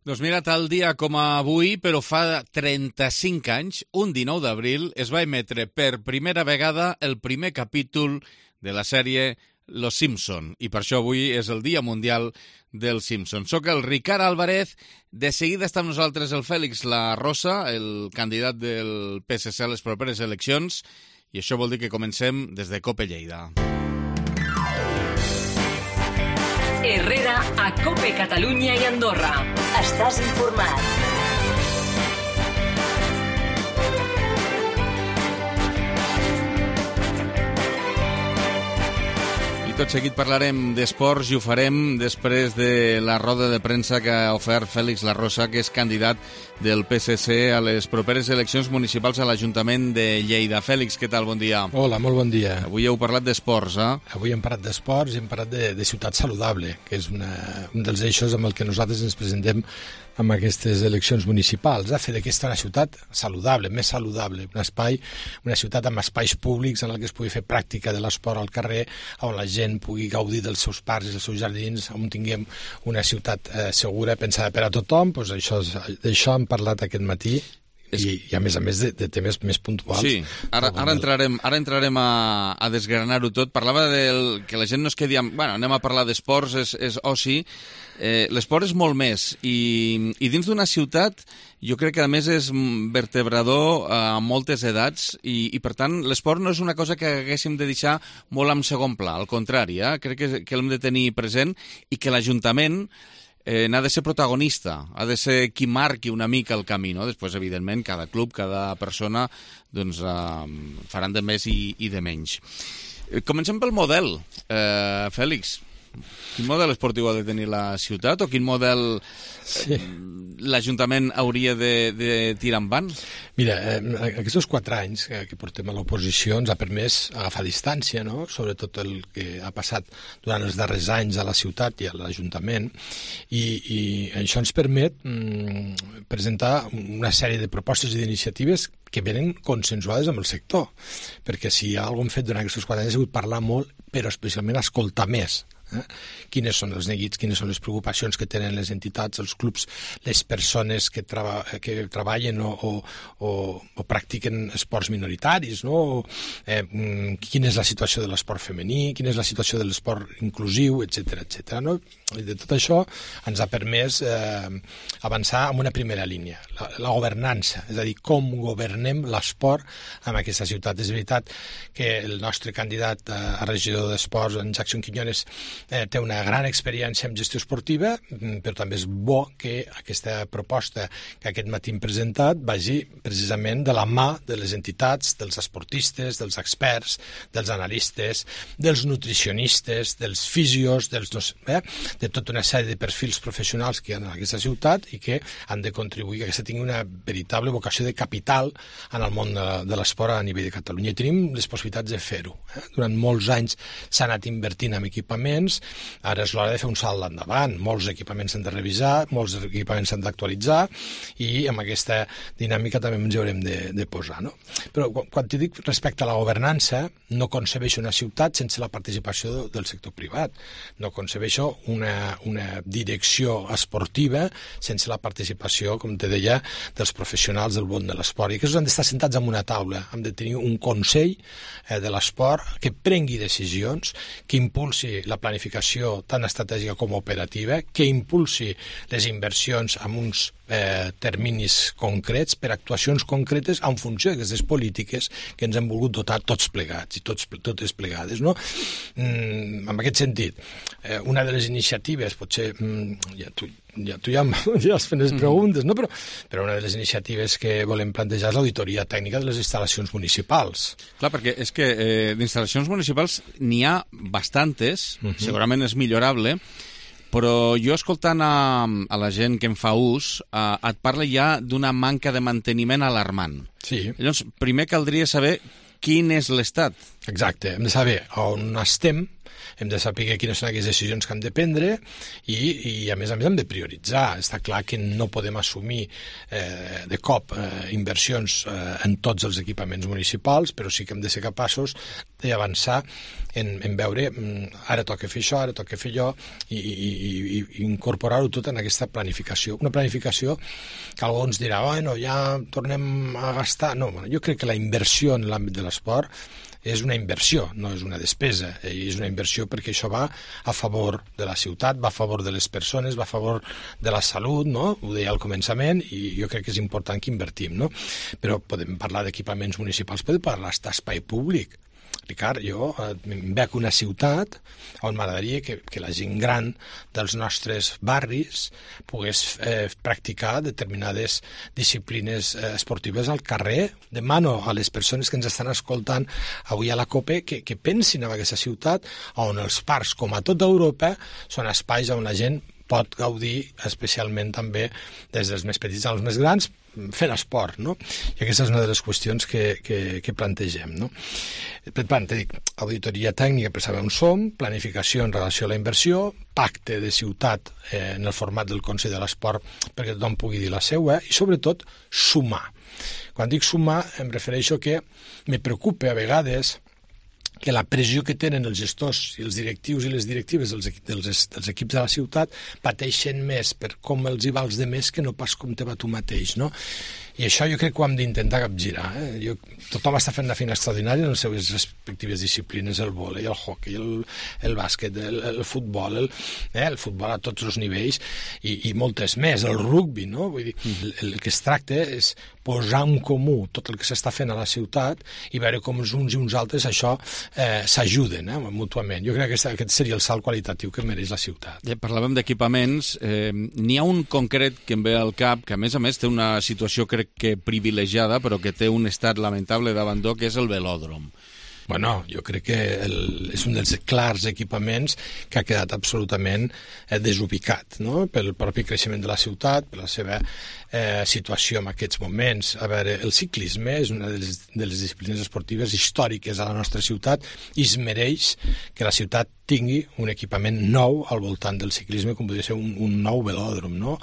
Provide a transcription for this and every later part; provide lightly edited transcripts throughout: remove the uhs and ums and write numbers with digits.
Doncs mira, tal dia com avui, però fa 35 anys, un 19 d'abril, es va emetre per primera vegada el primer capítol de la sèrie Los Simpson, i per això avui és el Dia Mundial dels Simpson. Soc el Ricard Álvarez, de seguida està amb nosaltres el Fèlix La Rosa, el candidat del PSC a les properes eleccions, i això vol dir que comencem des de COPE Lleida. Herrera a COPE Catalunya i Andorra. Estàs informat. I tot seguit parlarem d'esports i ho farem després de la roda de premsa que ha ofert Fèlix La Rosa, que és candidat del PSC a les properes eleccions municipals a l'Ajuntament de Lleida. Fèlix, què tal? Bon dia. Hola, molt bon dia. Avui heu parlat d'esports, eh? Avui hem parlat d'esports i hem parlat de ciutat saludable, que és un dels eixos amb el que nosaltres ens presentem amb aquestes eleccions municipals, fer d'aquesta una ciutat saludable, més saludable, una ciutat amb espais públics en què es pugui fer pràctica de l'esport al carrer, on la gent pugui gaudir dels seus parcs i dels seus jardins, on tinguem una ciutat segura, pensada per a tothom. Doncs d'això hem parlat aquest matí. I a més de temes més puntuals. Sí, ara entrarem a desgranar-ho tot. Parlava que la gent no es quedi amb... Bueno, anem a parlar d'esports, és oci. L'esport és molt més. I dins d'una ciutat, jo crec que a més és vertebrador a moltes edats i per tant, l'esport no és una cosa que haguéssim de deixar molt en segon pla. Al contrari, crec que l'hem de tenir present i que l'Ajuntament n'ha de ser protagonista, ha de ser qui marqui una mica el camí, no? Després, evidentment, cada club, cada persona, doncs, faran de més i de menys. Comencem pel model, Fèlix. Quin model esportiu ha de tenir la ciutat o quin model l'Ajuntament hauria de tirar endavant? Mira, aquests 4 anys que portem a l'oposició ens ha permès agafar distància, no? Sobretot el que ha passat durant els darrers anys a la ciutat i a l'Ajuntament, i això ens permet presentar una sèrie de propostes i d'iniciatives que venen consensuades amb el sector, perquè si hi ha alguna cosa fet durant aquests 4 anys ha sigut parlar molt, però especialment escoltar més. Quines són els neguits, quines són les preocupacions que tenen les entitats, els clubs, les persones que treballen o practiquen esports minoritaris, no? Quina és la situació de l'esport femení, quina és la situació de l'esport inclusiu, etc. No? I de tot això ens ha permès avançar en una primera línia, la governança, és a dir, com governem l'esport en aquesta ciutat. És veritat que el nostre candidat a regidor d'esports, en Jackson Quiñones, té una gran experiència en gestió esportiva, però també és bo que aquesta proposta que aquest matí hem presentat vagi precisament de la mà de les entitats, dels esportistes, dels experts, dels analistes, dels nutricionistes, dels fisios, de tota una sèrie de perfils professionals que hi ha en aquesta ciutat i que han de contribuir que aquesta tingui una veritable vocació de capital en el món de l'esport a nivell de Catalunya. I tenim les possibilitats de fer-ho. Durant molts anys s'ha anat invertint en equipaments. Ara és l'hora de fer un salt endavant. Molts equipaments s'han de revisar, molts equipaments s'han d'actualitzar i amb aquesta dinàmica també ens hi haurem de posar. No? Però quan t'hi dic respecte a la governança, no concebeixo una ciutat sense la participació del sector privat. No concebeixo una direcció esportiva sense la participació, com te deia, dels professionals del món de l'esport. I aquests han d'estar sentats en una taula. Hem de tenir un consell de l'esport que prengui decisions, que impulsi la planificació tant estratègica com operativa, que impulsi les inversions amb uns terminis concrets per actuacions concretes en funció d'aquestes polítiques que ens hem volgut dotar tots plegats i totes plegades. No? En aquest sentit, una de les iniciatives, potser ja has fet les preguntes, no? Però una de les iniciatives que volem plantejar és l'auditoria tècnica de les instal·lacions municipals. Clar, perquè és que d'instal·lacions municipals n'hi ha bastantes, segurament és millorable, però jo escoltant a la gent que en fa ús, et parla ja d'una manca de manteniment alarmant. Sí. Llavors, primer caldria saber quin és l'estat Exacte, hem de saber on estem, hem de saber quines són aquelles decisions que hem de prendre i a més hem de prioritzar. Està clar que no podem assumir de cop inversions en tots els equipaments municipals, però sí que hem de ser capaços d'avançar en veure ara toca fer això, ara toca fer allò i incorporar-ho tot en aquesta planificació. Una planificació que algú ens dirà, bueno, ja tornem a gastar. No, jo crec que la inversió en l'àmbit de l'esport és una inversió, no és una despesa, i és una inversió perquè això va a favor de la ciutat, va a favor de les persones, va a favor de la salut, no? Ho deia al començament, i jo crec que és important que invertim, no? Però podem parlar d'equipaments municipals, podem parlar d'espai públic. Ricard, jo em veig una ciutat on m'agradaria que la gent gran dels nostres barris pogués practicar determinades disciplines esportives al carrer. Demano a les persones que ens estan escoltant avui a la COPE que pensin en aquesta ciutat on els parcs, com a tota Europa, són espais on la gent pot gaudir, especialment també des dels més petits als més grans, fent esport, no? I aquesta és una de les qüestions que plantegem, no? Per tant, dic, auditoria tècnica per saber on som, planificació en relació a la inversió, pacte de ciutat en el format del Consell de l'Esport perquè tothom pugui dir la seva i, sobretot, sumar. Quan dic sumar, em refereixo que me preocupa a vegades que la pressió que tenen els gestors i els directius i les directives dels equips de la ciutat pateixen més per com els hi va als demés que no pas com te va tu mateix, no? I això jo crec que ho hem d'intentar capgirar. Tothom està fent una feina extraordinària en les seves respectives disciplines, el vòlei, el hoquei, el bàsquet, el futbol, el futbol a tots els nivells i moltes més, el rugbi, no? Vull dir, el que es tracta és posar en comú tot el que s'està fent a la ciutat i veure com els uns i uns altres això s'ajuden mútuament. Jo crec que aquest seria el salt qualitatiu que mereix la ciutat. Ja parlàvem d'equipaments. N'hi ha un concret que em ve al cap, que a més té una situació, crec que privilegiada, però que té un estat lamentable d'abandó, que és el velòdrom. Bueno, jo crec que és un dels clars equipaments que ha quedat absolutament desubicat, no? Pel propi creixement de la ciutat, per la seva situació en aquests moments. A veure, el ciclisme és una de les disciplines esportives històriques a la nostra ciutat i es mereix que la ciutat tingui un equipament nou al voltant del ciclisme, com podria ser un nou velòdrom, no?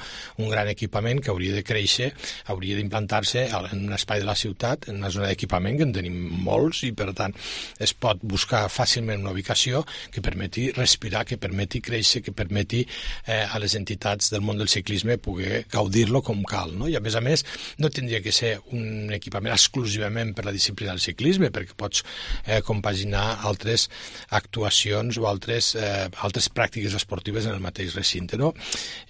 Un gran equipament que hauria de créixer, hauria d'implantar-se en un espai de la ciutat, en una zona d'equipament, que en tenim molts, i per tant es pot buscar fàcilment una ubicació que permeti respirar, que permeti créixer, que permeti a les entitats del món del ciclisme poder gaudir-lo com cal, no? I a més no tindria que ser un equipament exclusivament per la disciplina del ciclisme, perquè pots compaginar altres actuacions o altres pràctiques esportives en el mateix recinte, no?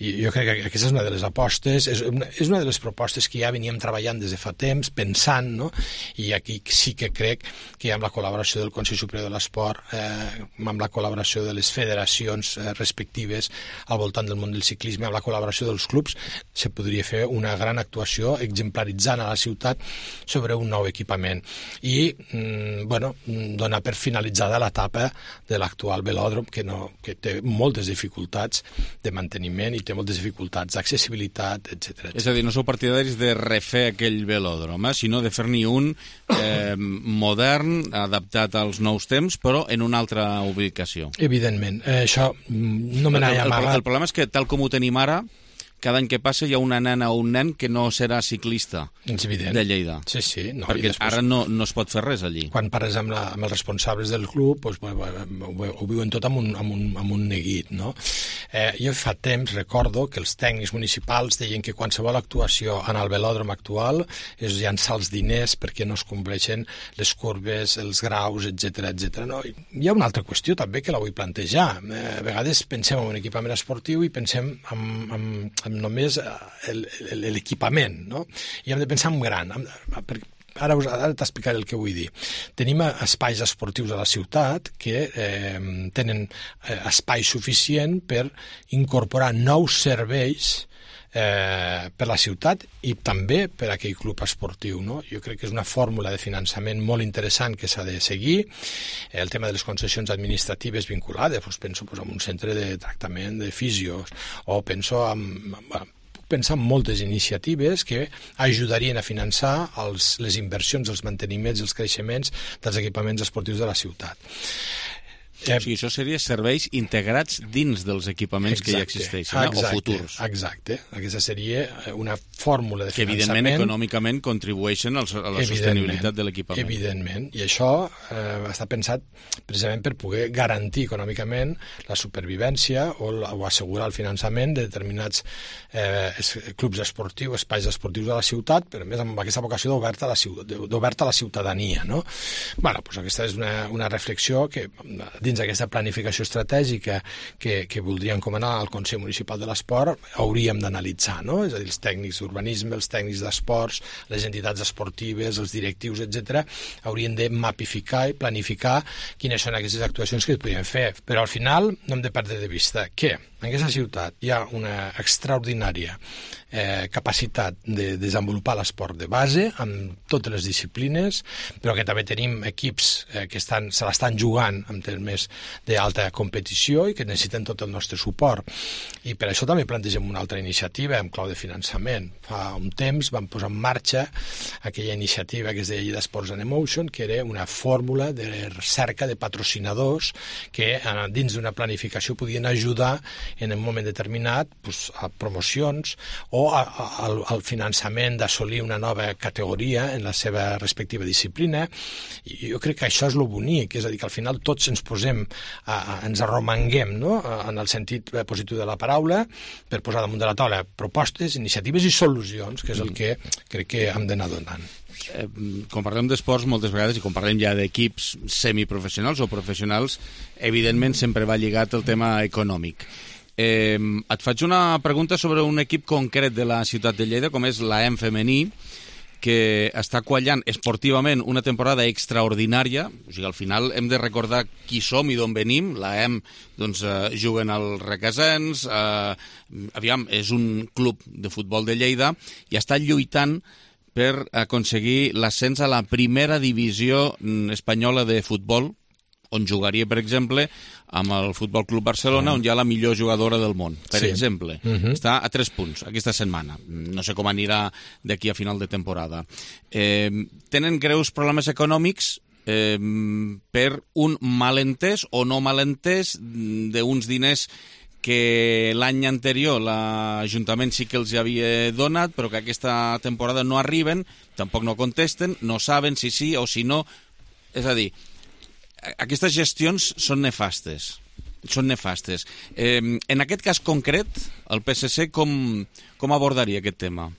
I jo crec que aquesta és una de les apostes, és una de les propostes que ja veníem treballant des de fa temps, pensant, no? I aquí sí que crec que amb la col·laboració del Consell Superior de l'Esport, amb la col·laboració de les federacions respectives al voltant del món del ciclisme, amb la col·laboració dels clubs, se podria fer una gran actuació exemplaritzant a la ciutat sobre un nou equipament i donar per finalitzada l'etapa de l'actual velòdrom que té moltes dificultats de manteniment i té moltes dificultats d'accessibilitat, etc. És a dir, no sou partidaris de refer aquell velòdrom, sinó de fer-n'hi un modern, adaptat als nous temps, però en una altra ubicació. Evidentment. Això no me n'ha amagat. El problema és que, tal com ho tenim ara, cada any que passa hi ha una nena o un nen que no serà ciclista de Lleida. Sí, sí. No, perquè ara no es pot fer res allí. Quan parles amb els responsables del club, doncs, ho viuen tot amb un neguit, no? Jo fa temps recordo que els tècnics municipals deien que qualsevol actuació en el velòdrom actual és llançar els diners perquè no es compleixen les curves, els graus, etc. No? Hi ha una altra qüestió també que la vull plantejar. A vegades pensem en un equipament esportiu i pensem amb només l'equipament, no? I hem de pensar en gran. Ara t'explicaré el que vull dir. Tenim espais esportius a la ciutat que tenen espai suficient per incorporar nous serveis per la ciutat i també per aquell club esportiu, no? Jo crec que és una fórmula de finançament molt interessant que s'ha de seguir. El tema de les concessions administratives vinculades, penso en un centre de tractament de fisios, o penso pensar en moltes iniciatives que ajudarien a finançar les inversions, els manteniments, els creixements dels equipaments esportius de la ciutat. O sigui, això seria serveis integrats dins dels equipaments que ja existeixen, o futurs. Exacte. Aquesta seria una fórmula de que, finançament... evidentment, econòmicament contribueixen a la sostenibilitat de l'equipament. Evidentment. I això està pensat precisament per poder garantir econòmicament la supervivència o assegurar el finançament de determinats clubs esportius, espais esportius de la ciutat, però a més amb aquesta vocació d'oberta a la ciutadania. No? Bueno, doncs aquesta és una reflexió que dins d'aquesta planificació estratègica que voldria encomanar al Consell Municipal de l'Esport hauríem d'analitzar, no? És a dir, els tècnics d'urbanisme, els tècnics d'esports, les entitats esportives, els directius, etc., haurien de mapificar i planificar quines són aquestes actuacions que es podrien fer. Però al final no hem de perdre de vista que en aquesta ciutat hi ha una extraordinària capacitat de desenvolupar l'esport de base amb totes les disciplines, però que també tenim equips que se l'estan jugant en termes d'alta competició i que necessiten tot el nostre suport. I per això també plantegem una altra iniciativa en clau de finançament. Fa un temps vam posar en marxa aquella iniciativa que es deia Lleida Sports and Emotion, que era una fórmula de recerca de patrocinadors que dins d'una planificació podien ajudar en un moment determinat a promocions o al finançament d'assolir una nova categoria en la seva respectiva disciplina. I jo crec que això és el bonic, és a dir, que al final tots ens posem, ens arromanguem, no?, en el sentit positiu de la paraula, per posar damunt de la taula propostes, iniciatives i solucions, que és el que crec que hem d'anar donant. Quan parlem d'esports moltes vegades i quan parlem ja d'equips semiprofessionals o professionals, evidentment sempre va lligat el tema econòmic. Et faig una pregunta sobre un equip concret de la ciutat de Lleida, com és l'AEM femení, que està quallant esportivament una temporada extraordinària. O sigui, al final hem de recordar qui som i d'on venim. L'AEM juguen al Requesens, és un club de futbol de Lleida i està lluitant per aconseguir l'ascens a la primera divisió espanyola de futbol, on jugaria, per exemple, amb el Futbol Club Barcelona, on hi ha la millor jugadora del món, per exemple. Està a 3 punts aquesta setmana. No sé com anirà d'aquí a final de temporada. Tenen greus problemes econòmics per un malentès o no malentès d'uns diners que l'any anterior l'Ajuntament sí que els havia donat, però que aquesta temporada no arriben, tampoc no contesten, no saben si sí o si no. És a dir, aquestes gestions són nefastes. En aquest cas concret, el PSC com abordaria aquest tema?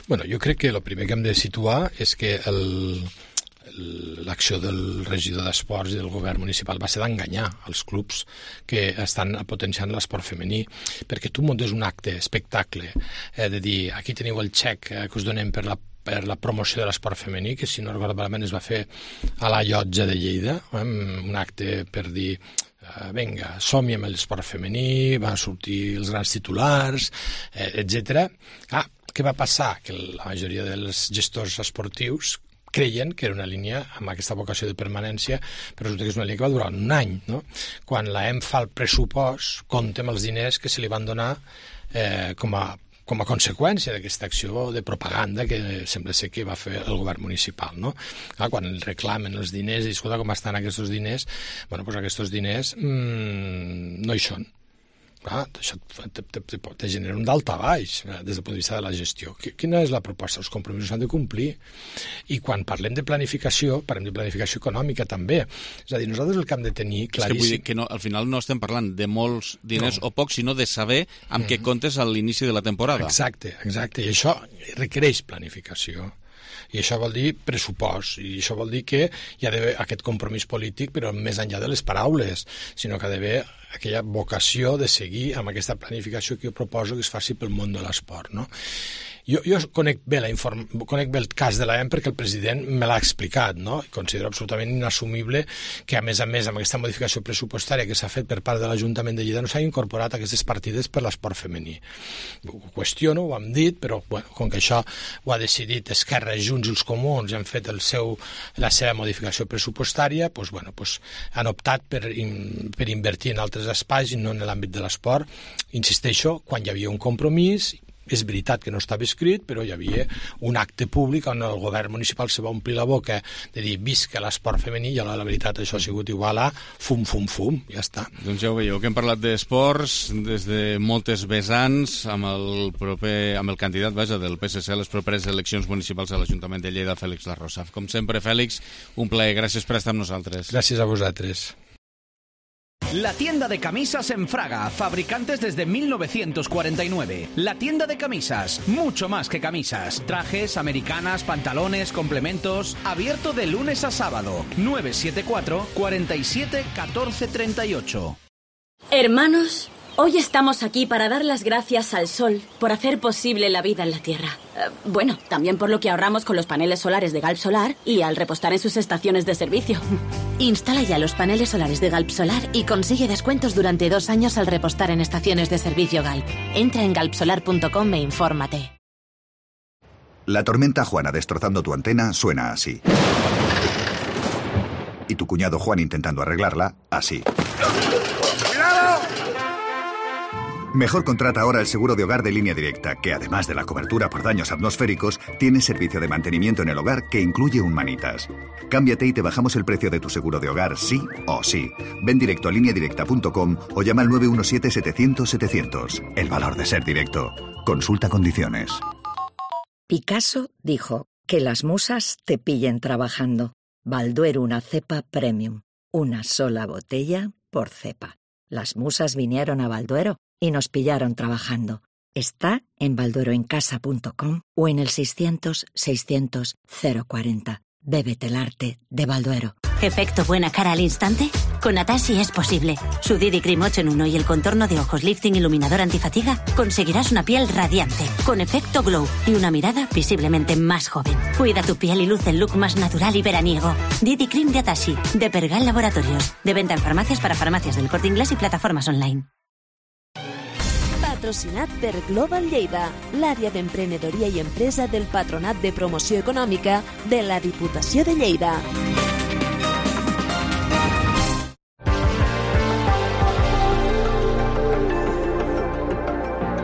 Bueno, jo crec que el primer que hem de situar és que l'acció del regidor d'Esports i del govern municipal va ser d'enganyar els clubs que estan potenciant l'esport femení, perquè tu muntes un acte, espectacle, de dir, aquí teniu el xec que us donem per la promoció de l'esport femení, que si no recordo malament es va fer a la Llotja de Lleida, un acte per dir vinga, som-hi amb l'esport femení, van sortir els grans titulars, etc. Què va passar? Que la majoria dels gestors esportius creien que era una línia amb aquesta vocació de permanència, però resulta que és una línia que va durar un any, no? Quan l'AEM fa el pressupost, compta amb els diners que se li van donar com a conseqüència d'aquesta acció de propaganda que sembla ser que va fer el govern municipal, no? Quan reclamen els diners i escolta com estan aquests diners, bueno, doncs aquests diners no hi són. Això te genera un daltabaix des del punt de vista de la gestió. Quina és la proposta? Els compromisos s'han de complir. I quan parlem de planificació, parlem de planificació econòmica també. És a dir, nosaltres el que hem de tenir claríssim... És que vull dir que no, al final no estem parlant de molts diners o pocs, sinó de saber amb què comptes a l'inici de la temporada. Exacte. I això requereix planificació. I això vol dir pressupost, i això vol dir que hi ha d'haver aquest compromís polític, però més enllà de les paraules, sinó que ha d'haver aquella vocació de seguir amb aquesta planificació que jo proposo que es faci pel món de l'esport, no? Jo conec bé el cas de l'AEM perquè el president me l'ha explicat, no? I considero absolutament inassumible que, a més, amb aquesta modificació pressupostària que s'ha fet per part de l'Ajuntament de Lleida no s'hagi incorporat aquestes partides per l'esport femení. Ho qüestiono, ho hem dit, però bueno, com que això ho ha decidit Esquerra, Junts i els Comuns i han fet la seva modificació pressupostària, han optat per invertir en altres espais i no en l'àmbit de l'esport. Insisteixo, quan hi havia un compromís És veritat que no estava escrit, però hi havia un acte públic on el govern municipal se va omplir la boca de dir visca l'esport femení, i la veritat això ha sigut igual a fum, fum, fum, ja està. Doncs ja ho veieu, que hem parlat d'esports des de moltes vessants amb el candidat, del PSC a les properes eleccions municipals a l'Ajuntament de Lleida, Fèlix Larrosa. Com sempre, Fèlix, un plaer. Gràcies per estar amb nosaltres. Gràcies a vosaltres. La tienda de camisas en Fraga, fabricantes desde 1949. La tienda de camisas, mucho más que camisas. Trajes, americanas, pantalones, complementos. Abierto de lunes a sábado. 974 47 14 38. Hermanos, hoy estamos aquí para dar las gracias al sol por hacer posible la vida en la Tierra. Bueno, también por lo que ahorramos con los paneles solares de Galp Solar y al repostar en sus estaciones de servicio. Instala ya los paneles solares de Galp Solar y consigue descuentos durante 2 años al repostar en estaciones de servicio Galp. Entra en galpsolar.com e infórmate. La tormenta Juana destrozando tu antena suena así. Y tu cuñado Juan intentando arreglarla, así. Mejor contrata ahora el seguro de hogar de Línea Directa, que además de la cobertura por daños atmosféricos, tiene servicio de mantenimiento en el hogar que incluye un manitas. Cámbiate y te bajamos el precio de tu seguro de hogar sí o sí. Ven directo a lineadirecta.com o llama al 917-700-700. El valor de ser directo. Consulta condiciones. Picasso dijo que las musas te pillen trabajando. Balduero, una cepa premium. Una sola botella por cepa. Las musas vinieron a Balduero y nos pillaron trabajando. Está en baldueroencasa.com o en el 600-600-040. Bébete el arte de Balduero. ¿Efecto buena cara al instante? Con Atashi es posible. Su Didi Cream 8 en 1 y el contorno de ojos lifting iluminador antifatiga conseguirás una piel radiante, con efecto glow y una mirada visiblemente más joven. Cuida tu piel y luce el look más natural y veraniego. Didi Cream de Atashi, de Pergal Laboratorios. De venta en farmacias para farmacias del Corte Inglés y plataformas online. Patrocinat per Global Lleida, l'àrea d'emprenedoria i empresa del Patronat de Promoció Econòmica de la Diputació de Lleida.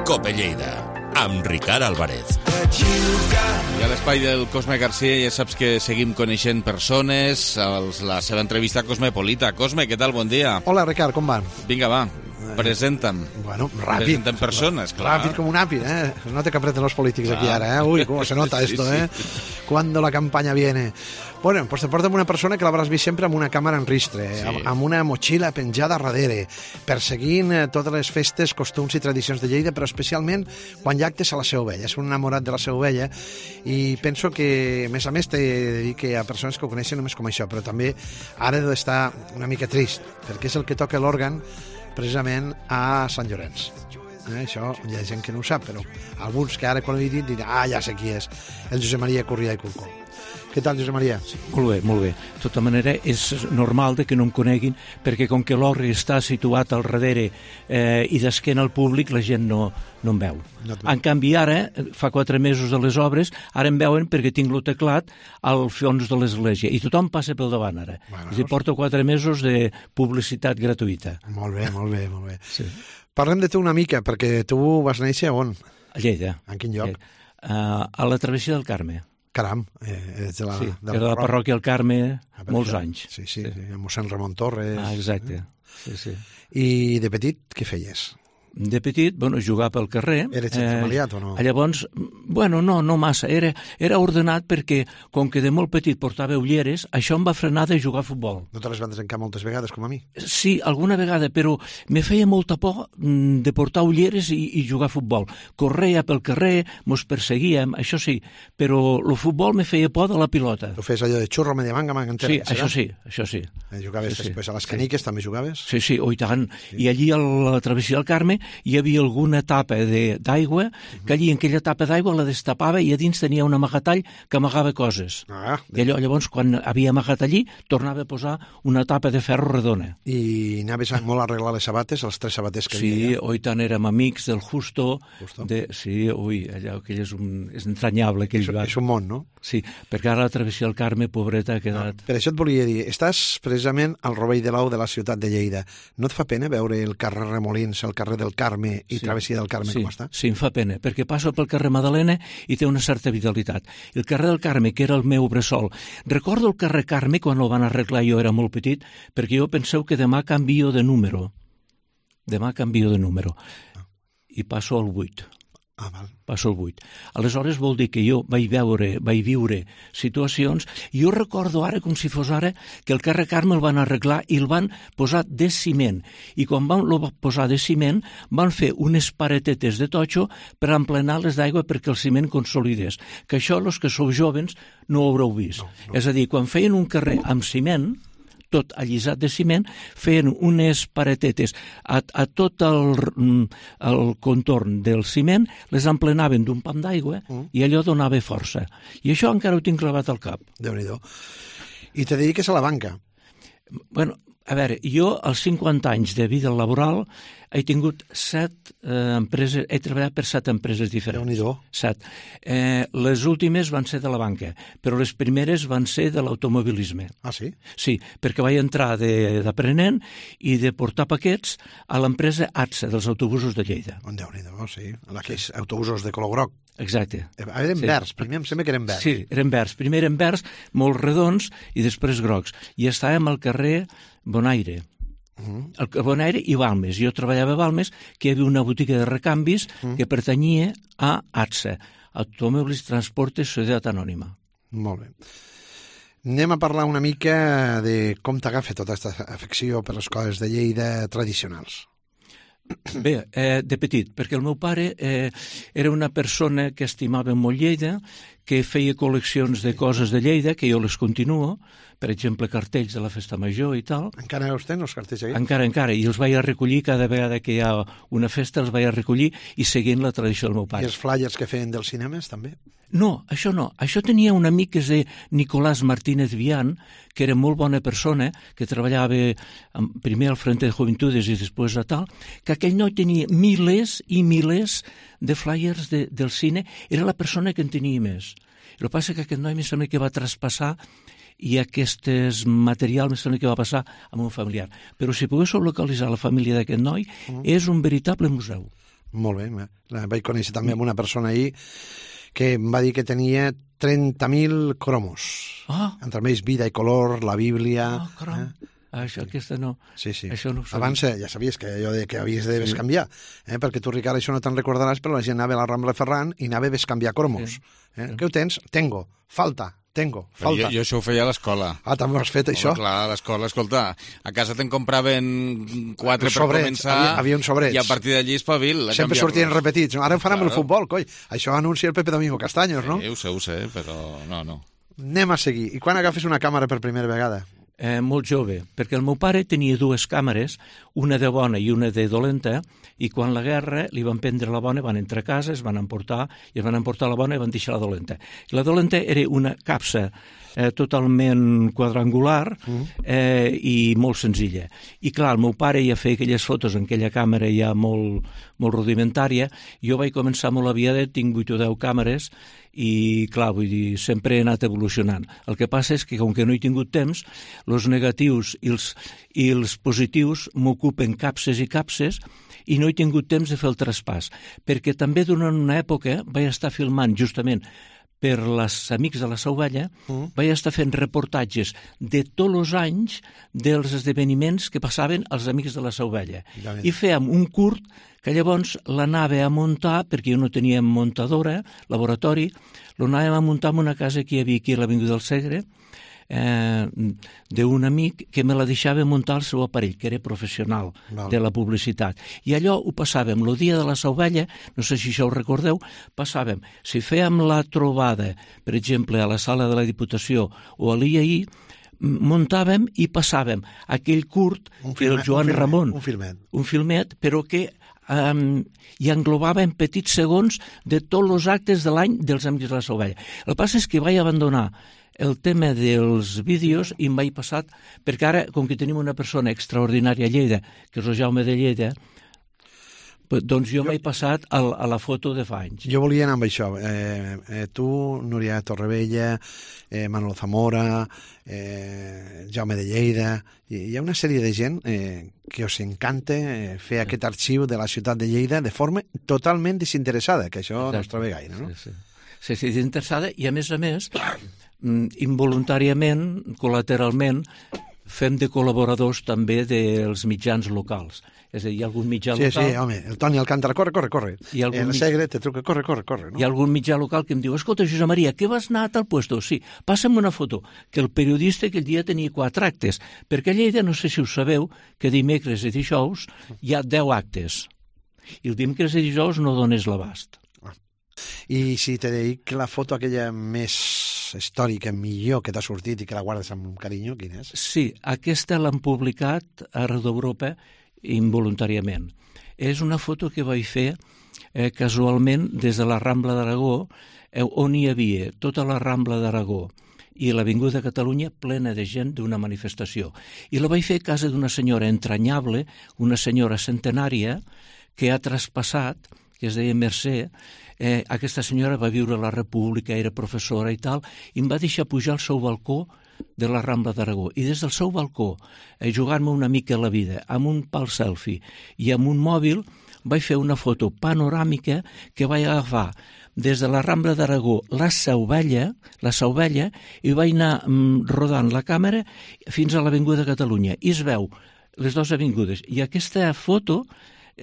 Cope Lleida, amb Ricard Álvarez. I a l'espai del Cosme García ja saps que seguim coneixent persones, la seva entrevista a Cosmopolita. Cosme, què tal? Bon dia. Hola, Ricard, com va? Vinga, va. Presenta'm. Bueno, ràpid. Presenten persones, clar. Ràpid com un àpid, Se nota que apreten los polítics aquí ara, Uy, cómo se nota esto, Cuando la campaña viene. Bueno, pues te portem una persona que l'hauràs vist sempre amb una càmera en ristre, amb una motxilla penjada darrere, perseguint totes les festes, costums i tradicions de Lleida, però especialment quan hi ha actes a la Seu Vella. És un enamorat de la Seu Vella i penso que, a més, t'he de dir que hi ha persones que ho coneixen només com això, però també ara he d'estar una mica trist, perquè és el que toca l'òrgan precisament a Sant Llorenç. Això hi ha gent que no ho sap, però alguns que ara quan ho he dit diran, ja sé qui és, el Josep Maria Corrià i Curcó. Què tal, Josep Maria? Sí, molt bé, molt bé. De tota manera, és normal que no em coneguin, perquè com que l'orri està situat al darrere i d'esquena al públic, la gent no em veu. En canvi, ara, fa 4 mesos de les obres, ara em veuen perquè tinc el teclat al fons de l'església, i tothom passa pel davant ara. Bueno, és a dir, porto 4 mesos de publicitat gratuïta. Molt bé, molt bé, molt bé. Sí. Parlem de tu una mica, perquè tu vas néixer on? A Lleida. En quin lloc? A la travessia del Carme. Caram, ets de la... Sí, era de la parròquia del Carme molts anys. Sí, mossèn Ramon Torres. Exacte, sí. I de petit, què feies? De petit, jugar pel carrer. Eres familiat o no? Llavors, no massa. Era ordenat perquè, com que de molt petit portava ulleres, això em va frenar de jugar a futbol. No te les van desencar moltes vegades, com a mi? Sí, alguna vegada, però me feia molta por de portar ulleres i jugar a futbol. Correia pel carrer, mos perseguíem, això sí, però el futbol me feia por de la pilota. Tu feies allò de xurro, media manga, manga entera? Sí, això sí. Jugaves després a les caniques, també jugaves? Sí, i tant. I allí a la travessia del Carme hi havia alguna tapa d'aigua, que allí en aquella tapa d'aigua la destapava i a dins tenia un amagatall que amagava coses. I llavors, quan havia amagat allí, tornava a posar una tapa de ferro redona. I anaves molt a arreglar les sabates, els 3 sabaters que havia? Sí, oi tant érem amics del Justo. Sí, allò aquell és entranyable. És un món, no? Sí, perquè ara la travessia del Carme, pobreta, ha quedat... Per això et volia dir, estàs precisament al Rovell de l'Au de la ciutat de Lleida. No et fa pena veure el carrer Remolins, el carrer del Carme i travessia del Carme com està? Sí, em fa pena, perquè passo pel carrer Madalena i té una certa vitalitat. El carrer del Carme, que era el meu bressol. Recordo el carrer Carme quan el van arreglar, jo era molt petit, perquè jo penseu que demà canvio de número. I passo al 8. Passo al 8. Aleshores vol dir que jo vaig viure situacions, i jo recordo ara, com si fos ara, que el carrer Carme el van arreglar i el van posar de ciment. I quan van posar de ciment, van fer unes paretetes de totxo per emplenar-les d'aigua perquè el ciment consolidés. Que això, els que sou jovens, no ho haureu vist. És a dir, quan feien un carrer amb ciment, tot allisat de ciment, feien unes paretetes a tot el contorn del ciment, les emplenaven d'un pam d'aigua i allò donava força. I això encara ho tinc clavat al cap. Déu-n'hi-do. I te dediques a la banca? Bueno, a veure, jo als 50 anys de vida laboral he tingut 7 empreses, he treballat per 7 empreses diferents. Déu-n'hi-do. 7. Les últimes van ser de la banca, però les primeres van ser de l'automobilisme. Ah, sí? Sí, perquè vaig entrar d'aprenent i de portar paquets a l'empresa ATSA, dels autobusos de Lleida. Déu-n'hi-do, sí. Aquells autobusos de color groc. Exacte. Eren verds, primer em sembla que eren verds. Sí, eren verds. Primer eren verds, molt redons, i després grocs. I estàvem al carrer Bonaire. El Bonaire i Balmes. Jo treballava a Balmes, que hi havia una botiga de recanvis que pertanyia a ATSA, Automòbils Transportes Societat Anònima. Molt bé. Anem a parlar una mica de com t'agafa tota aquesta afecció per les coses de Lleida tradicionals. Bé, de petit, perquè el meu pare era una persona que estimava molt Lleida, que feia col·leccions de coses de Lleida, que jo les continuo, per exemple, cartells de la Festa Major i tal. Encara els tens, els cartells aquí? Encara, i els vaig a recollir cada vegada que hi ha una festa, els vaig a recollir i seguint la tradició del meu pare. I els flyers que feien dels cinemes, també? No. Això tenia un amic que es deia Nicolás Martínez Vian, que era molt bona persona, que treballava primer al Frente de Juventudes i després a tal, que aquell noi tenia milers i milers de flyers del cine, era la persona que en tenia més. El que passa que aquest noi em sembla que va traspassar i aquest material em sembla que va passar a un familiar. Però si poguéssiu localitzar la família d'aquest noi, és un veritable museu. Molt bé. Vaig conèixer també amb una persona ahir que em va dir que tenia 30.000 cromos. Entre més Vida i Color, la Bíblia... Aquesta no. Sí. Això no ho sabia. Abans ja sabies que allò que havies de bescanviar, perquè tu, Ricard, això no te'n recordaràs, però la gent anava a la Rambla Ferran i anava a bescanviar cromos. Què ho tens? Tengo. Falta. Falta. Jo això ho feia a l'escola. També ho has fet, això? Clar, a l'escola, escolta, a casa te'n compraven 4 per començar... Havia uns sobrets. I a partir d'allí espavil. Sempre sortien repetits. Ara ho fan amb el futbol, coi. Això anuncia el Pepe Domingo Castaños, no? Ho sé, però no. Anem a seguir. I quan agafes una càmera per primera vegada? Molt jove, perquè el meu pare tenia 2 càmeres, una de bona i una de dolenta, i quan la guerra li van prendre la bona, van entrar a casa, es van emportar la bona i van deixar la dolenta. I la dolenta era una capsa totalment quadrangular i molt senzilla. I clar, el meu pare ja feia aquelles fotos en aquella càmera ja molt rudimentària. Jo vaig començar molt aviat, tinc 8 o 10 càmeres, i clar, vull dir, sempre he anat evolucionant. El que passa és que, com que no he tingut temps, els negatius i els positius m'ocupen capses i capses i no he tingut temps de fer el traspàs, perquè també durant una època vaig estar filmant justament per els Amics de la Sauvella, vaig estar fent reportatges de tots els anys dels esdeveniments que passaven als Amics de la Sauvella. I fèiem un curt que llavors l'anava a muntar, perquè jo no tenia muntadora, laboratori, l'anàvem a muntar en una casa que hi havia aquí a l'Avinguda del Segre, d'un amic que me la deixava muntar el seu aparell, que era professional de la publicitat. I allò ho passàvem, el dia de la Sauvella, no sé si això ho recordeu, passàvem, si fèiem la trobada, per exemple, a la sala de la Diputació o a l'IAI, muntàvem i passàvem aquell curt que el Joan Ramon... Un filmet. Un filmet, però que i englobava en petits segons de tots els actes de l'any dels Amics de la Salvella. El que passa és que vaig abandonar el tema dels vídeos i em vaig passar, perquè ara, com que tenim una persona extraordinària a Lleida, que és el Jaume de Lleida, doncs jo m'he passat a la foto de fa anys. Jo volia anar amb això. Tu, Núria Torrevella, Manolo Zamora, Jaume de Lleida... Hi ha una sèrie de gent que us encanta fer aquest arxiu de la ciutat de Lleida de forma totalment desinteressada, que això no es troba gaire, no? Sí, desinteressada i, a més, involuntàriament, col·lateralment, fem de col·laboradors també dels mitjans locals. És a dir, hi ha algun mitjà local... Sí, home, el Toni Alcántara, corre. El Segre te truca, corre, no? Hi ha algun mitjà local que em diu, escolta, Josep Maria, que vas anar a tal puesto? Sí, passa'm una foto, que el periodista aquell dia tenia 4 actes, perquè a Lleida, no sé si ho sabeu, que dimecres i dijous hi ha 10 actes, i el dimecres i dijous no dones l'abast. I si te dic la foto aquella més històrica, millor, que t'ha sortit i que la guardes amb carinyo, quina és? Sí, aquesta l'han publicat arreu d'Europa involuntàriament. És una foto que vaig fer casualment des de la Rambla d'Aragó, on hi havia tota la Rambla d'Aragó i l'Avinguda de Catalunya plena de gent d'una manifestació. I la vaig fer a casa d'una senyora entranyable, una senyora centenària, que ha traspassat, que es deia Mercè. Aquesta senyora va viure a la República, era professora i tal, i em va deixar pujar al seu balcó de la Rambla d'Aragó. I des del seu balcó, jugant-me una mica la vida, amb un pal selfie i amb un mòbil, vaig fer una foto panoràmica que vaig agafar des de la Rambla d'Aragó la Sauvella, i vaig anar rodant la càmera fins a l'Avinguda de Catalunya. I es veu les dues avingudes. I aquesta foto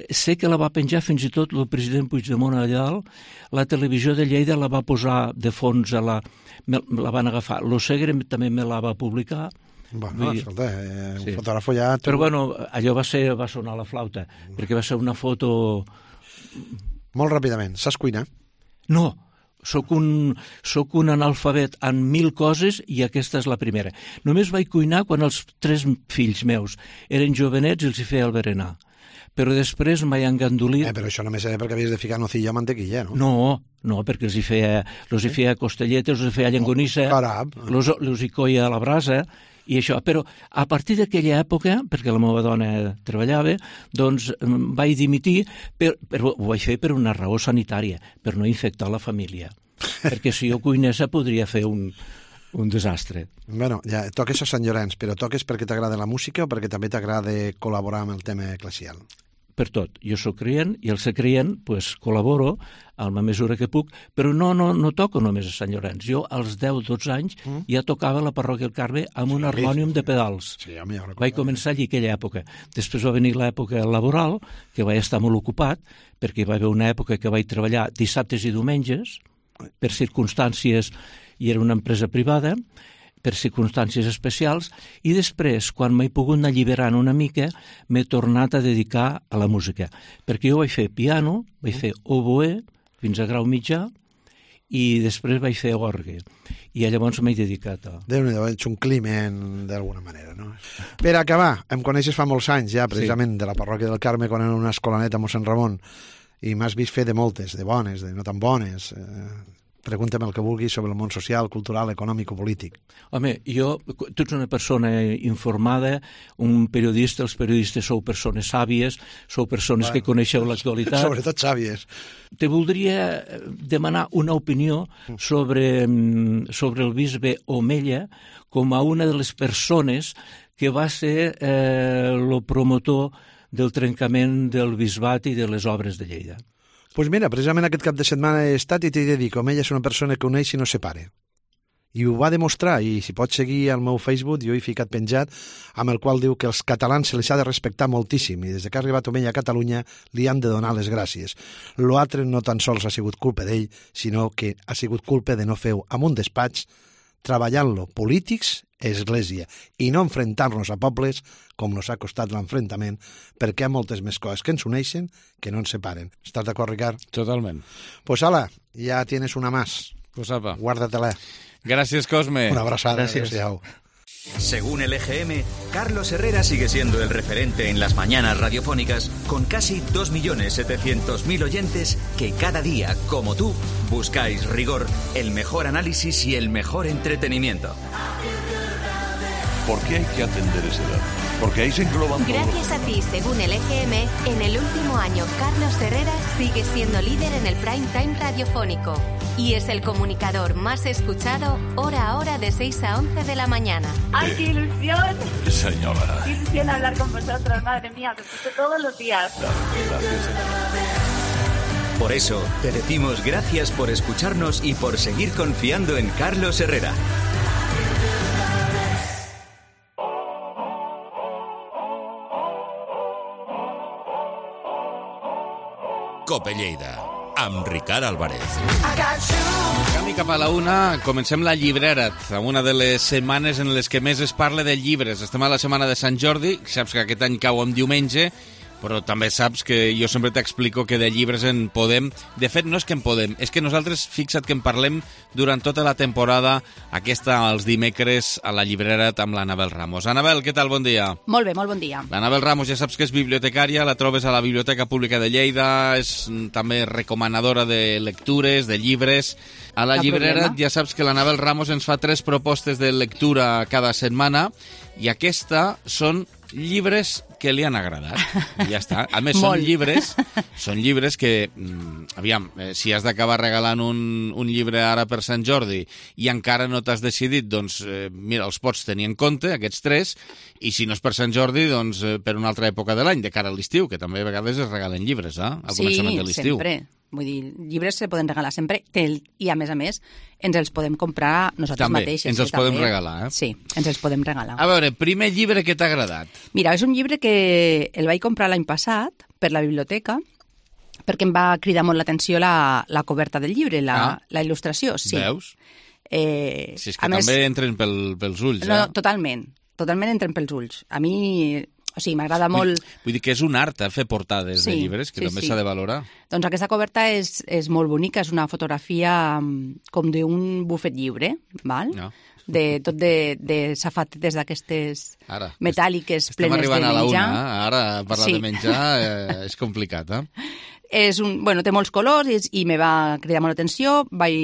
sé que la va penjar fins i tot el president Puigdemont allà dalt, la televisió de Lleida la va posar de fons, la van agafar. Lo Segre també me la va publicar. Bueno, escolta, un fotògrafo ja... Però bueno, allò va sonar la flauta, perquè va ser una foto... Molt ràpidament, saps cuinar? No, soc un analfabet en 1000 coses i aquesta és la primera. Només vaig cuinar quan els 3 fills meus eren jovenets i els hi feia el berenar. Però després m'he engandolit... Però això només era perquè havies de ficar nocilla o mantequilla, no? No, perquè els hi feia costelletes, els hi feia llengonissa, els hi coia a la brasa, i això. Però a partir d'aquella època, perquè la meva dona treballava, doncs vaig dimitir, però ho vaig fer per una raó sanitària, per no infectar la família. Perquè si jo cuinessa podria fer un desastre. Bueno, ja toques a Sant Llorenç, però toques perquè t'agrada la música o perquè també t'agrada col·laborar amb el tema eclesial? Per tot. Jo soc creient i al ser creient pues, col·laboro a la mesura que puc, però no toco només a Sant Llorenç. Jo als 10-12 anys ja tocava a la parròquia del Carme amb un harmònium de pedals. Sí, vaig començar allí aquella època. Després va venir l'època laboral, que vaig estar molt ocupat, perquè hi va haver una època que vaig treballar dissabtes i diumenges, per circumstàncies, i era una empresa privada, per circumstàncies especials, i després, quan m'he pogut anar alliberant una mica, m'he tornat a dedicar a la música. Perquè jo vaig fer piano, vaig fer oboè, fins a grau mitjà, i després vaig fer orgue. I llavors m'he dedicat a... Déu-n'hi-do, ets un climent d'alguna manera, no? Per acabar, em coneixes fa molts anys ja, precisament, de la parròquia del Carme, quan era una escolaneta a Mossèn Ramon, i m'has vist fer de moltes, de bones, de no tan bones... Pregúnta'm el que vulguis sobre el món social, cultural, econòmic o polític. Home, tu ets una persona informada, un periodista, els periodistes sou persones sàvies, sou persones que coneixeu l'actualitat. Sobretot sàvies. Te voldria demanar una opinió sobre el bisbe Omella com a una de les persones que va ser el promotor del trencament del bisbat i de les obres de Lleida. Doncs mira, precisament aquest cap de setmana he estat i t'he de dir que ella és una persona que uneix i no separa. I ho va demostrar, i si pots seguir al meu Facebook, jo he ficat penjat, amb el qual diu que els catalans se les ha de respectar moltíssim, i des que ha arribat Omella a Catalunya li han de donar les gràcies. L'altre no tan sols ha sigut culpa d'ell, sinó que ha sigut culpa de no fer-ho amb un despatx, treballant-lo polítics, església, i no enfrontar-nos a pobles com nos ha costat l'enfrontament, perquè hi ha moltes més coses que ens uneixen que no ens separen. Estàs d'acord, Ricard? Totalment. Pues ala, ja tienes una más. Pues apa. Guarda-te-la. Gràcies, Cosme. Una abraçada. Gràcies. Adéu-siau. Según el EGM, Carlos Herrera sigue siendo el referente en las mañanas radiofónicas con casi 2.700.000 oyentes que cada día, como tú, buscáis rigor, el mejor análisis y el mejor entretenimiento. ¿Por qué hay que atender ese dato? Porque ahí se engloban todos. Gracias a ti, según el EGM, en el último año Carlos Herrera sigue siendo líder en el prime time radiofónico y es el comunicador más escuchado hora a hora de 6 a 11 de la mañana. ¡Ay, qué ilusión! Señora. Qué ilusión hablar con vosotros, madre mía, que escucho todos los días. Gracias. Por eso, te decimos gracias por escucharnos y por seguir confiando en Carlos Herrera. Cope Lleida, amb Ricard Álvarez. Camí cap a la una, comencem la llibrera, una de les setmanes en les que més es parla de llibres. Estem a la setmana de Sant Jordi, saps que aquest any cau en diumenge, però també saps que jo sempre t'explico que de llibres en podem... De fet, no és que en podem, és que nosaltres, fixa't que en parlem durant tota la temporada, aquesta els dimecres a la llibrera amb l'Anabel Ramos. Anabel, què tal? Bon dia. Molt bé, molt bon dia. L'Anabel Ramos ja saps que és bibliotecària, la trobes a la Biblioteca Pública de Lleida, és també recomanadora de lectures, de llibres. A la llibrera ja saps que l'Anabel Ramos ens fa 3 propostes de lectura cada setmana i aquesta són llibres que li han agradat. I ja està. A més, són llibres que, aviam, si has d'acabar regalant un llibre ara per Sant Jordi i encara no t'has decidit, doncs, mira, els pots tenir en compte, aquests 3, i si no és per Sant Jordi, doncs, per una altra època de l'any, de cara a l'estiu, que també a vegades es regalen llibres, al començament de l'estiu. Sí, sempre. Vull dir, llibres se poden regalar sempre i, a més, ens els podem comprar nosaltres també, mateixes. Ens els podem regalar, eh? Sí, ens els podem regalar. A veure, primer llibre que t'ha agradat. Mira, és un llibre que el vaig comprar l'any passat per la biblioteca perquè em va cridar molt l'atenció la coberta del llibre, la il·lustració. Sí. Veus? Si és que també entren pels ulls, No, totalment entren pels ulls. A mi... O sigui, m'agrada molt... Vull dir que és un art, fer portades de llibres, que també s'ha de valorar. Doncs aquesta coberta és molt bonica, és una fotografia com d'un bufet lliure, val? No. Tot de safatetes d'aquestes metàl·liques plenes de menjar. Estem arribant a la una, ara parlar de menjar és complicat, té molts colors i me va cridar molt l'atenció. Vaig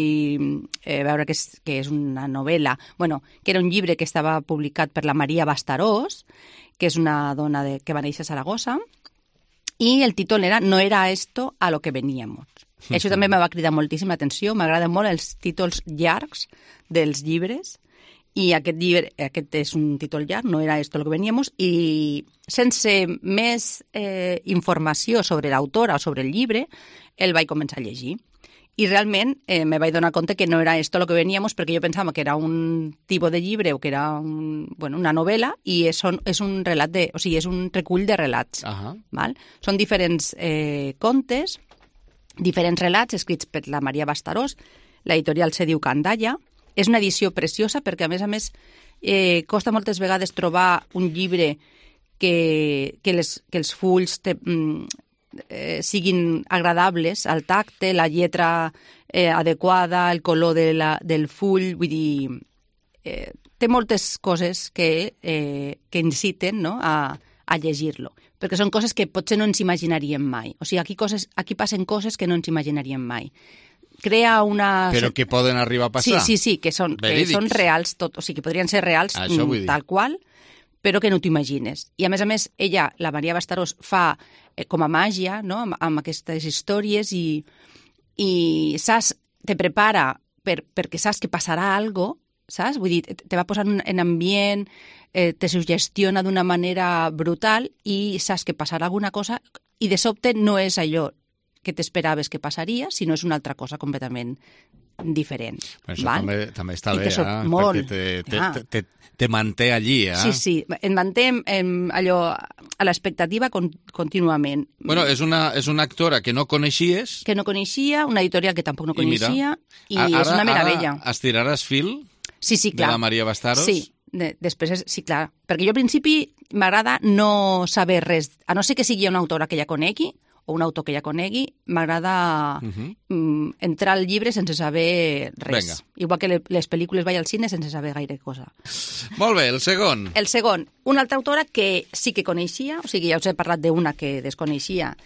veure que és una novel·la, que era un llibre que estava publicat per la Maria Bastarós, que és una dona que va néixer a Saragossa, i el títol era No era esto a lo que veníamos. Això també me va cridar moltíssim l'atenció. M'agraden molt els títols llargs dels llibres, i aquest és un títol llarg, No era esto a lo que veníamos, i sense més informació sobre l'autora o sobre el llibre, el vaig començar a llegir. I realment me vaig donar compte que no era esto lo que veníamos, perquè jo pensava que era un tipus de llibre o que era una novel·la, i és un relat és un recull de relats. Val? Són diferents contes, diferents relats escrits per la Maria Bastarós. L'editorial se diu Candalla. És una edició preciosa perquè, a més, costa moltes vegades trobar un llibre que els fulls siguin agradables al tacte, la lletra adequada, el color del full, vull dir, té moltes coses que inciten, no?, a llegir-lo, perquè són coses que potser no ens imaginaríem mai. O sigui, aquí passen coses que no ens imaginaríem mai. Crea una... Però que poden arribar a passar. Sí, que són reals, o sigui, que podrien ser reals tal qual, però que no t'imagines. I, a més, ella, la Maria Bastarós, fa com a màgia, no?, amb aquestes històries i te prepara perquè saps que passarà alguna cosa, saps? Vull dir, te va posant en ambient, te suggestiona d'una manera brutal i saps que passarà alguna cosa i de sobte no és allò que t'esperaves que passaria, sinó és una altra cosa completament diferent. Això també està bé, perquè te manté allí. Sí, em manté allò a l'expectativa contínuament. Bueno, és una actora que no coneixies. Que no coneixia, una editorial que tampoc no coneixia, i és una meravella. Ara estiraràs fil de la Maria Bastarós? Sí, després, sí, clar. Perquè jo al principi m'agrada no saber res, a no ser que sigui una autora que ja conegui, o un autor que ja conegui, m'agrada entrar al llibre sense saber res. Vinga. Igual que les pel·lícules vaig al cine sense saber gaire cosa. Molt bé, el segon. El segon, una altra autora que sí que coneixia, o sigui, ja us he parlat d'una que desconeixia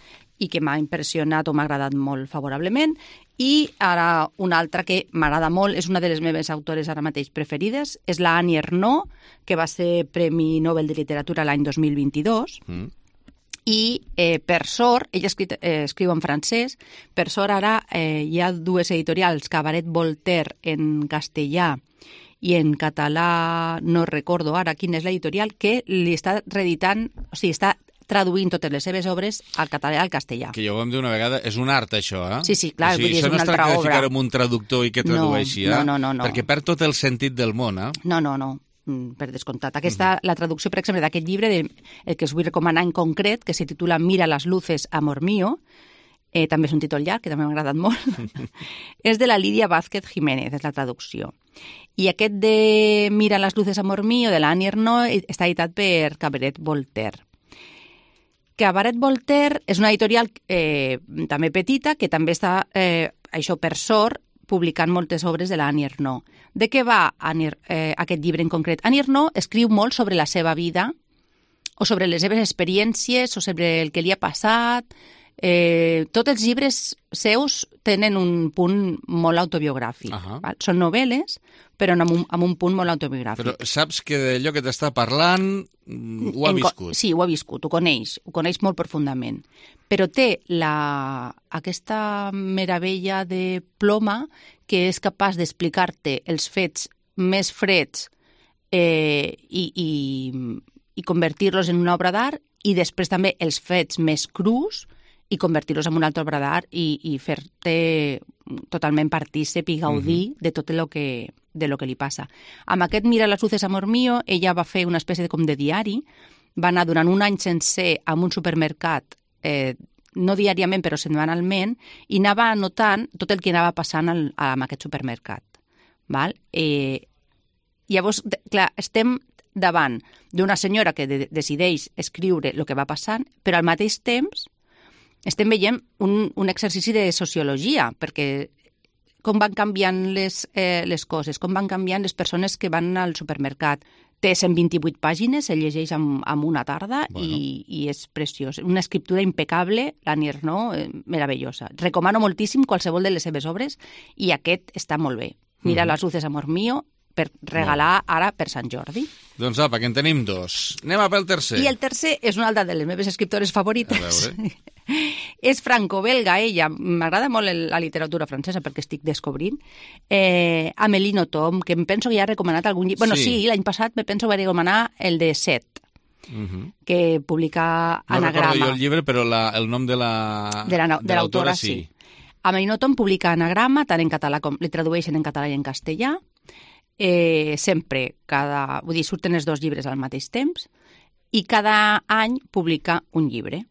i que m'ha impressionat o m'ha agradat molt favorablement, i ara una altra que m'agrada molt, és una de les meves autores ara mateix preferides, és la Annie Ernaux, que va ser Premi Nobel de Literatura l'any 2022, i per sort, ella escriu en francès, per sort ara hi ha dues editorials, Cabaret Voltaire en castellà i en català, no recordo ara quina és l'editorial, que li està reeditant, o sigui, està traduint totes les seves obres al català i al castellà. Que ja ho vam dir una vegada, és un art, això, eh? Sí, sí, clar, o sigui, és una altra obra. Això no es tracta de ficar en un traductor i que tradueixi, eh? No. Perquè perd tot el sentit del món, eh? No, per descomptat. Aquesta, la traducció, per exemple, d'aquest llibre, el que us vull recomanar en concret, que se titula Mira las luces, amor mío, també és un títol llarg, que també m'ha agradat molt, és de la Lídia Vázquez Jiménez, és la traducció. I aquest de Mira las luces, amor mío, de la Annie Ernaux, està editat per Cabaret Voltaire. Cabaret Voltaire és una editorial també petita, que també està, això per sort, publicant moltes obres de la Annie Ernaux. De què va aquest llibre en concret? Annie Ernaux escriu molt sobre la seva vida, o sobre les seves experiències, o sobre el que li ha passat. Tots els llibres seus tenen un punt molt autobiogràfic. Val? Són novel·les, però amb un punt molt autobiogràfic. Però saps que d'allò que t'està parlant ho ha viscut. Sí, ho ha viscut, ho coneix molt profundament. Però té aquesta meravella de ploma que és capaç d'explicar-te els fets més freds i convertir-los en una obra d'art, i després també els fets més crus i convertir-los en una altra obra d'art i fer-te totalment partícip i gaudir de tot el que li passa. Amb aquest Mira las luces, amor mío, ella va fer una espècie de diari, va anar durant un any sencer a un supermercat, no diàriament però setmanalment, i anava anotant tot el que anava passant en aquest supermercat. Val? Llavors, clar, estem davant d'una senyora que decideix escriure el que va passant, però al mateix temps estem veient un exercici de sociologia, perquè com van canviant les coses, com van canviant les persones que van al supermercat. Té 128 pàgines, se llegeix en una tarda i és preciós. Una escriptura impecable, l'Annie Ernaux, meravellosa. Recomano moltíssim qualsevol de les seves obres i aquest està molt bé. Mira las luces, amor mío, per regalar ara per Sant Jordi. Doncs apa, que en tenim dos. Anem a pel tercer. I el tercer és una altra de les meves escriptores favorites. És franco-belga, ella. M'agrada molt la literatura francesa perquè estic descobrint. Amélie Nothomb, que em penso que ja ha recomanat algun llibre. Bueno, sí, l'any passat me penso que va recomanar el de Set, que publica Anagrama. No recordo jo el llibre, però el nom de l'autora sí. Amélie Nothomb publica Anagrama, tant en català com li tradueixen en català i en castellà. Sempre, vull dir, surten els dos llibres al mateix temps, i cada any publica un llibre.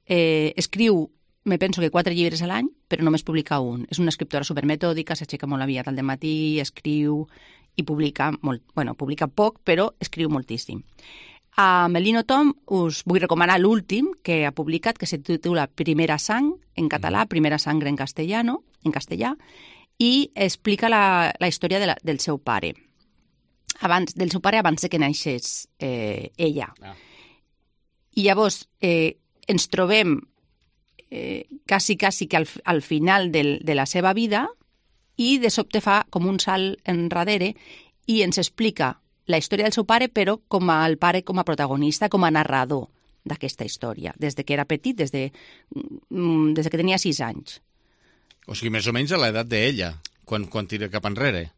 Escriu, me penso que 4 llibres a l'any, però només publica un. És una escriptora supermetòdica, s'aixeca molt aviat al dematí, escriu i publica molt. Bueno, publica poc, però escriu moltíssim. A Amélie Nothomb us vull recomanar l'últim que ha publicat, que se titula Primera sang, en català, Primera sangre en castellà, i explica la història del seu pare. Del seu pare abans que naixés ella. I llavors ens trobem quasi que al final de la seva vida, i de sobte fa com un salt enrere i ens explica la història del seu pare, però el pare com a protagonista, com a narrador d'aquesta història, des que era petit, des que tenia 6 anys. O sigui, més o menys a l'edat d'ella, quan tira cap enrere.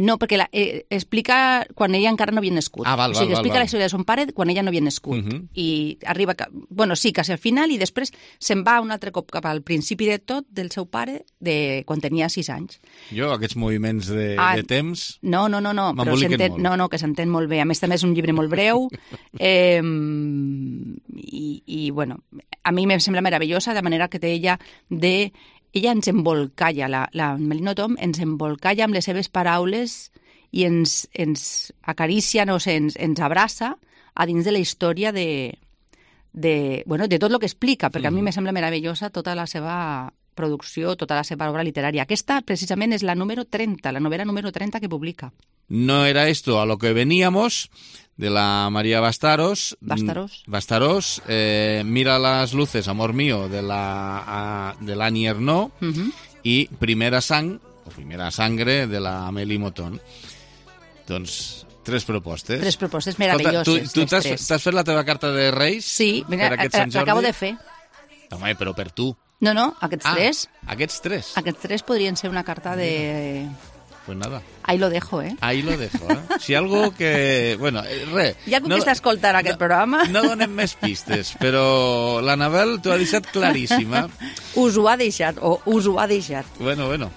No, perquè explica quan ella encara no havia nascut. O sigui, explica la història de son pare quan ella no havia nascut. I arriba, quasi al final, i després se'n va un altre cop cap al principi de tot del seu pare, quan tenia 6 anys. Jo, aquests moviments de temps... No, m'emboliquen molt. No, que s'entén molt bé. A més, també és un llibre molt breu. I, bueno, a mi em sembla meravellosa, de manera que té ella ella ens embolcalla, la Amélie Nothomb ens embolcalla amb les seves paraules i ens acaricia, no sé, ens abraça a dins de la història de tot el que explica, perquè a mi me sembla meravellosa tota la seva producció, tota la seva obra literària. Aquesta, precisament, és la número 30, la novela número 30 que publica. No era esto a lo que veníamos, de la María Bastarós. Mira las luces, amor mío, de la Annie Ernaux, i Primera sangre, de la Amélie Mouton. Doncs 3 propostes. 3 propostes meravelloses. Tu t'has fet la teva carta de Reis? Sí, mira, l'acabo de fer. Home, però per tu. No, aquests 3. Aquests 3? Aquests 3 podrien ser una carta de... Pues nada. Ahí lo dejo, ¿eh? Ahí lo dejo, ¿eh? Si algo que... Bueno, res. Hi ha algú que està escoltant aquest programa. No donem més pistes, però l'Anabel t'ho ha deixat claríssima. Us ho ha deixat. Bueno.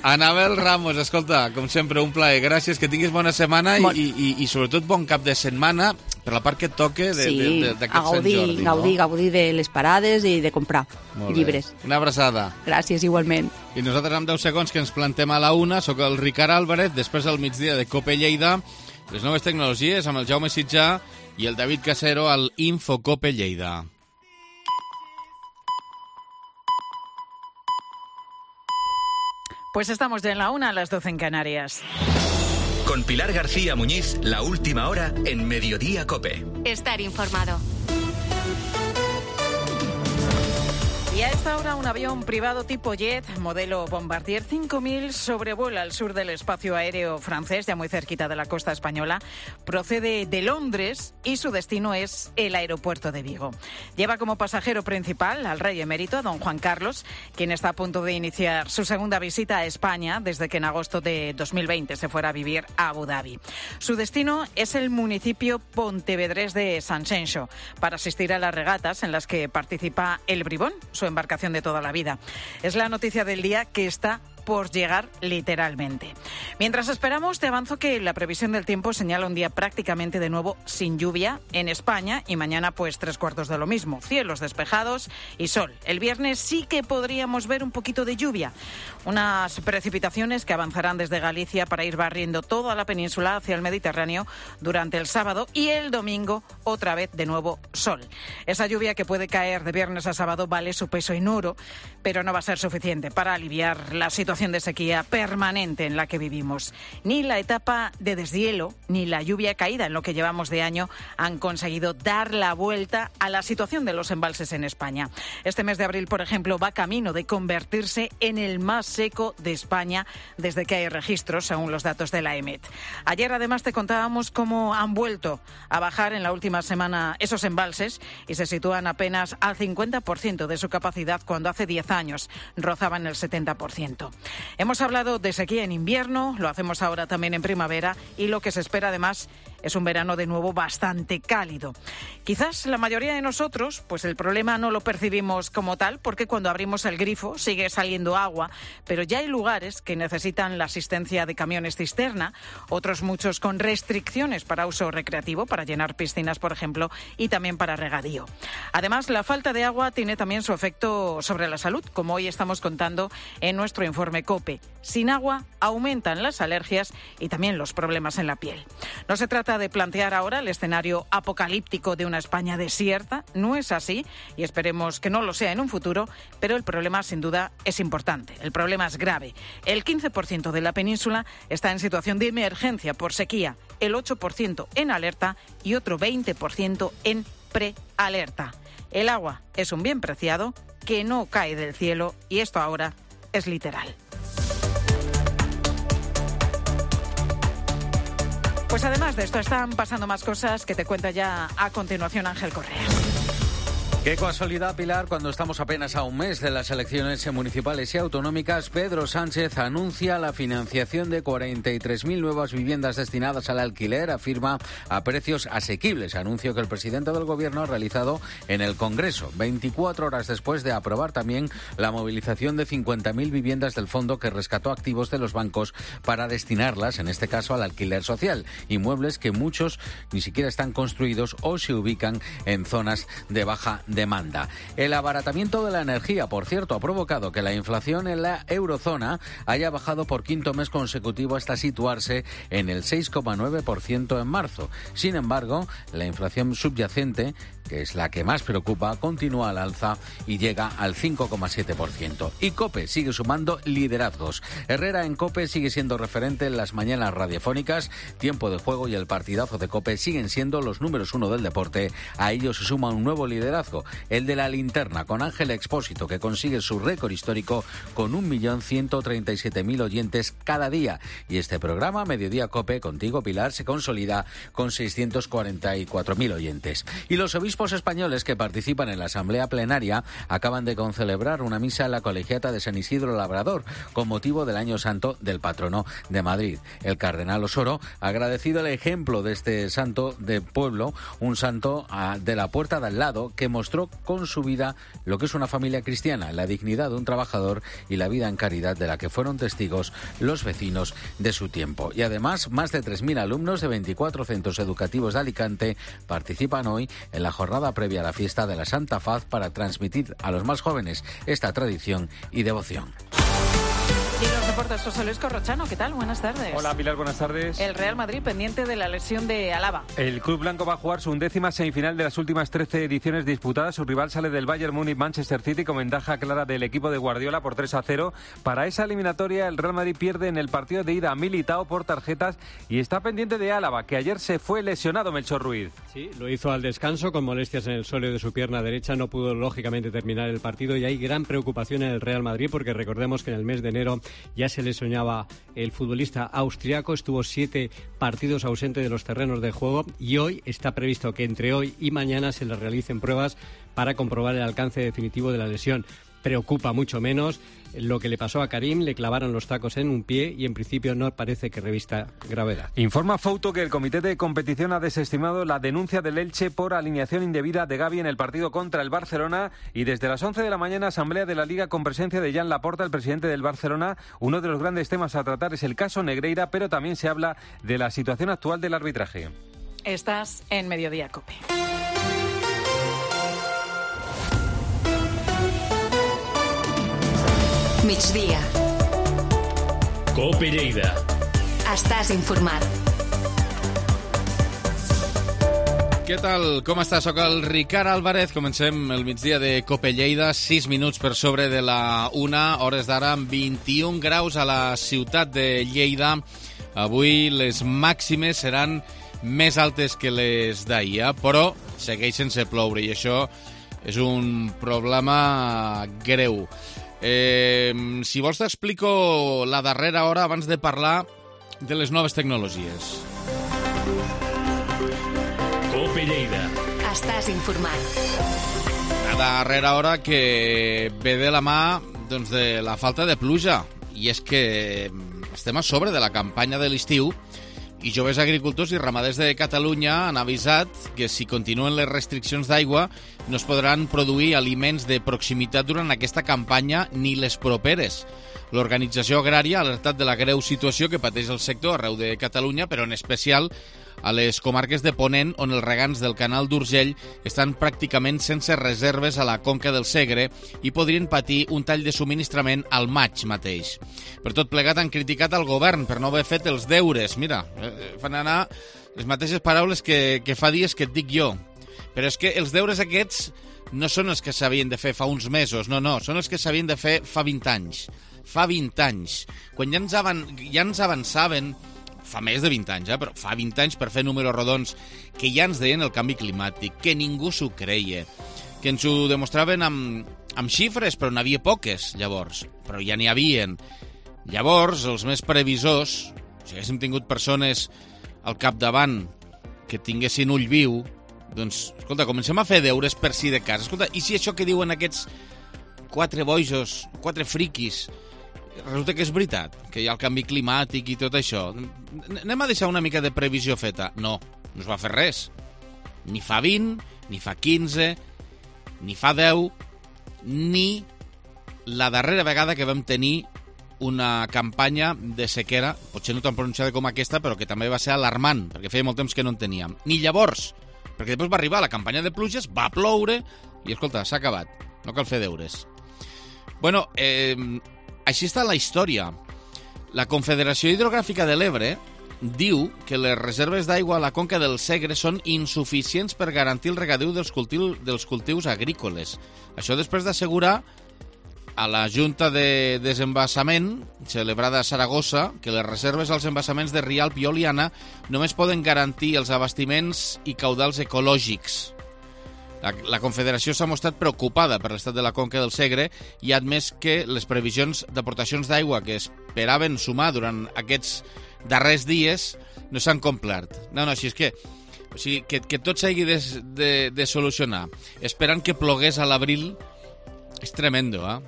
Anabel Ramos, escolta, com sempre, un plaer. Gràcies, que tinguis bona setmana i sobretot bon cap de setmana per la part que et toque d'aquest Sant Jordi. Gaudir de les parades i de comprar llibres. Una abraçada. Gràcies, igualment. I nosaltres amb 10 segons que ens plantem a la 1, sóc el Ricard Álvarez, després del migdia de Cope Lleida, les noves tecnologies amb el Jaume Sitjà i el David Casero al Infocope Lleida. Pues estamos ya en la 1, a las 12 en Canarias. Con Pilar García Muñiz, la última hora en Mediodía Cope. Estar informado. Y a esta hora un avión privado tipo jet, modelo Bombardier 5000, sobrevuela el sur del espacio aéreo francés, ya muy cerquita de la costa española. Procede de Londres y su destino es el aeropuerto de Vigo. Lleva como pasajero principal al rey emérito, a don Juan Carlos, quien está a punto de iniciar su segunda visita a España desde que en agosto de 2020 se fuera a vivir a Abu Dhabi. Su destino es el municipio pontevedrés de Sanxenxo, para asistir a las regatas en las que participa el Bribón, su embarcación de toda la vida. Es la noticia del día que está por llegar literalmente. Mientras esperamos, te avanzo que la previsión del tiempo señala un día prácticamente de nuevo sin lluvia en España y mañana pues 3/4 de lo mismo, cielos despejados y sol. El viernes sí que podríamos ver un poquito de lluvia, unas precipitaciones que avanzarán desde Galicia para ir barriendo toda la península hacia el Mediterráneo durante el sábado y el domingo otra vez de nuevo sol. Esa lluvia que puede caer de viernes a sábado vale su peso en oro, pero no va a ser suficiente para aliviar la situación de sequía permanente en la que vivimos. Ni la etapa de deshielo ni la lluvia caída en lo que llevamos de año han conseguido dar la vuelta a la situación de los embalses en España. Este mes de abril, por ejemplo, va camino de convertirse en el más seco de España desde que hay registros, según los datos de la EMET. Ayer, además, te contábamos cómo han vuelto a bajar en la última semana esos embalses y se sitúan apenas al 50% de su capacidad cuando hace 10 años rozaban el 70%. Hemos hablado de sequía en invierno, lo hacemos ahora también en primavera y lo que se espera además es un verano de nuevo bastante cálido. Quizás la mayoría de nosotros, pues el problema no lo percibimos como tal, porque cuando abrimos el grifo sigue saliendo agua, pero ya hay lugares que necesitan la asistencia de camiones cisterna, otros muchos con restricciones para uso recreativo, para llenar piscinas, por ejemplo, y también para regadío. Además, la falta de agua tiene también su efecto sobre la salud, como hoy estamos contando en nuestro informe COPE. Sin agua aumentan las alergias y también los problemas en la piel. No se trata de plantear ahora el escenario apocalíptico de una España desierta, no es así y esperemos que no lo sea en un futuro, pero el problema sin duda es importante, el problema es grave. El 15% de la península está en situación de emergencia por sequía, el 8% en alerta y otro 20% en prealerta. El agua es un bien preciado que no cae del cielo y esto ahora es literal. Pues además de esto están pasando más cosas que te cuenta ya a continuación Ángel Correa. Qué casualidad, Pilar, cuando estamos apenas a un mes de las elecciones municipales y autonómicas, Pedro Sánchez anuncia la financiación de 43.000 nuevas viviendas destinadas al alquiler, afirma, a precios asequibles, anuncio que el presidente del Gobierno ha realizado en el Congreso, 24 horas después de aprobar también la movilización de 50.000 viviendas del fondo que rescató activos de los bancos para destinarlas, en este caso, al alquiler social, inmuebles que muchos ni siquiera están construidos o se ubican en zonas de baja demanda. El abaratamiento de la energía, por cierto, ha provocado que la inflación en la eurozona haya bajado por quinto mes consecutivo hasta situarse en el 6,9% en marzo. Sin embargo, la inflación subyacente, que es la que más preocupa, continúa al alza y llega al 5,7%. Y COPE sigue sumando liderazgos. Herrera en COPE sigue siendo referente en las mañanas radiofónicas. Tiempo de Juego y el partidazo de COPE siguen siendo los números 1 del deporte. A ellos se suma un nuevo liderazgo, el de la linterna, con Ángel Expósito, que consigue su récord histórico con 1.137.000 oyentes cada día. Y este programa, Mediodía COPE, contigo Pilar, se consolida con 644.000 oyentes. Y los obispos españoles que participan en la asamblea plenaria acaban de concelebrar una misa en la colegiata de San Isidro Labrador con motivo del Año Santo del patrono de Madrid. El cardenal Osoro ha agradecido el ejemplo de este santo de pueblo, un santo de la puerta de al lado que mostró con su vida lo que es una familia cristiana, la dignidad de un trabajador y la vida en caridad de la que fueron testigos los vecinos de su tiempo. Y además, más de 3.000 alumnos de 24 centros educativos de Alicante participan hoy en la jornada previa a la fiesta de la Santa Faz para transmitir a los más jóvenes esta tradición y devoción. Y en los deportes, José Luis Corrochano, ¿qué tal? Buenas tardes. Hola, Pilar, buenas tardes. El Real Madrid pendiente de la lesión de Alaba. El club blanco va a jugar su 11ª semifinal de las últimas 13 ediciones disputadas. Su rival sale del Bayern Múnich-Manchester City con ventaja clara del equipo de Guardiola por 3-0. Para esa eliminatoria, el Real Madrid pierde en el partido de ida a Militao por tarjetas y está pendiente de Alaba, que ayer se fue lesionado, Melchor Ruiz. Sí, lo hizo al descanso con molestias en el sóleo de su pierna derecha. No pudo, lógicamente, terminar el partido y hay gran preocupación en el Real Madrid porque recordemos que en el mes de enero ya se lesionaba el futbolista austriaco, estuvo 7 partidos ausente de los terrenos de juego y hoy está previsto que entre hoy y mañana se le realicen pruebas para comprobar el alcance definitivo de la lesión. Preocupa mucho menos lo que le pasó a Karim, le clavaron los tacos en un pie y en principio no parece que revista gravedad. Informa Fouto que el comité de competición ha desestimado la denuncia del Elche por alineación indebida de Gavi en el partido contra el Barcelona y desde las 11 de la mañana asamblea de la Liga con presencia de Jan Laporta, el presidente del Barcelona. Uno de los grandes temas a tratar es el caso Negreira, pero también se habla de la situación actual del arbitraje. Estás en Mediodía COPE. Migdia. COPE Lleida. Estàs informat. Què tal? Com està? Soc el Ricard Álvarez. Comencem el migdia de COPE Lleida. 6 minuts per sobre de la 1, hores d'ara, amb 21 graus a la ciutat de Lleida. Avui les màximes seran més altes que les d'ahir, però segueix sense ploure i això és un problema greu. Si vols t'explico la darrera hora abans de parlar de les noves tecnologies. COPE Lleida. Estàs informat. La darrera hora que ve de la mà doncs, de la falta de pluja. I és que estem a sobre de la campanya de l'estiu i joves agricultors i ramaders de Catalunya han avisat que si continuen les restriccions d'aigua no es podran produir aliments de proximitat durant aquesta campanya ni les properes. L'organització agrària ha alertat de la greu situació que pateix el sector arreu de Catalunya, però en especial a les comarques de Ponent, on els regants del canal d'Urgell estan pràcticament sense reserves a la conca del Segre i podrien patir un tall de subministrament al maig mateix. Per tot plegat han criticat al govern per no haver fet els deures. Mira, fan anar les mateixes paraules que fa dies que et dic jo. Però és que els deures aquests no són els que s'havien de fer fa uns mesos, no, són els que s'havien de fer fa 20 anys. Fa 20 anys. Quan ja ens avançaven, fa més de 20 anys, però fa 20 anys per fer números rodons, que ja ens deien el canvi climàtic, que ningú s'ho creia, que ens ho demostraven amb xifres, però n'hi havia poques, llavors, però ja n'hi havien. Llavors, els més previsors, si haguéssim tingut persones al capdavant que tinguessin ull viu, doncs, escolta, comencem a fer deures per si de cas. Escolta, i si això que diuen aquests 4 bojos, 4 friquis, resulta que és veritat, que hi ha el canvi climàtic i tot això. Anem a deixar una mica de previsió feta. No es va fer res. Ni fa 20, ni fa 15, ni fa 10, ni la darrera vegada que vam tenir una campanya de sequera, potser no tan pronunciada com aquesta, però que també va ser alarmant, perquè feia molt temps que no en teníem. Ni llavors, perquè després va arribar la campanya de pluges, va ploure, I escolta, s'ha acabat. No cal fer deures. Bueno, així està la història. La Confederació Hidrogràfica de l'Ebre diu que les reserves d'aigua a la conca del Segre són insuficients per garantir el regadiu dels cultius agrícoles. Això després d'assegurar a la Junta de Desembassament, celebrada a Saragossa, que les reserves als embassaments de Rialp i Oliana només poden garantir els abastiments i caudals ecològics. La Confederació s'ha mostrat preocupada per l'estat de la conca del Segre i ha admès que les previsions d'aportacions d'aigua que esperaven sumar durant aquests darrers dies no s'han complert. No, així és que, que tot s'hagi de solucionar esperant que plogués a l'abril és tremendo, eh?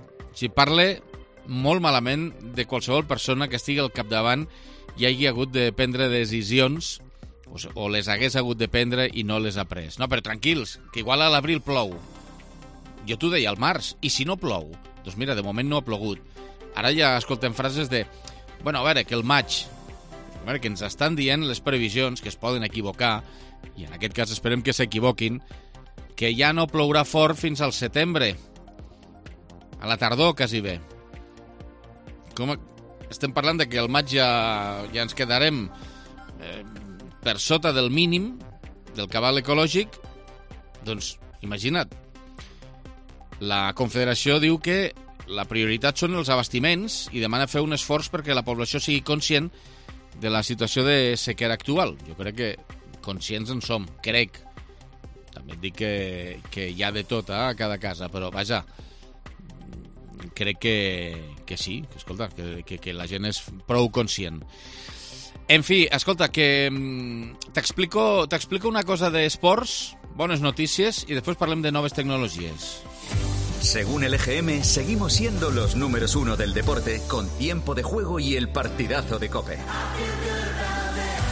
Parla molt malament de qualsevol persona que estigui al capdavant i hagi hagut de prendre decisions o les hagués hagut de prendre i no les ha pres. No, però tranquils, que igual a l'abril plou. Jo t'ho deia al març, i si no plou? Doncs mira, de moment no ha plogut. Ara ja escoltem frases de... Bueno, a veure, que el maig... A veure, que ens estan dient les previsions, que es poden equivocar, i en aquest cas esperem que s'equivoquin, que ja no plourà fort fins al setembre. A la tardor, quasi bé. Estem parlant de que al maig ja ens quedarem... per sota del mínim del cabal ecològic, doncs imagina't. La Confederació diu que la prioritat són els abastiments i demana fer un esforç perquè la població sigui conscient de la situació de sequera actual. Jo crec que conscients en som, crec. També et dic que hi ha de tot a cada casa, però vaja, crec que sí, que escolta, que la gent és prou conscient. En fi, escolta, que t'explico una cosa d'esports, bones notícies, y después parlem de noves tecnologías. Según el EGM, seguimos siendo los números 1 del deporte, con tiempo de juego y el partidazo de COPE.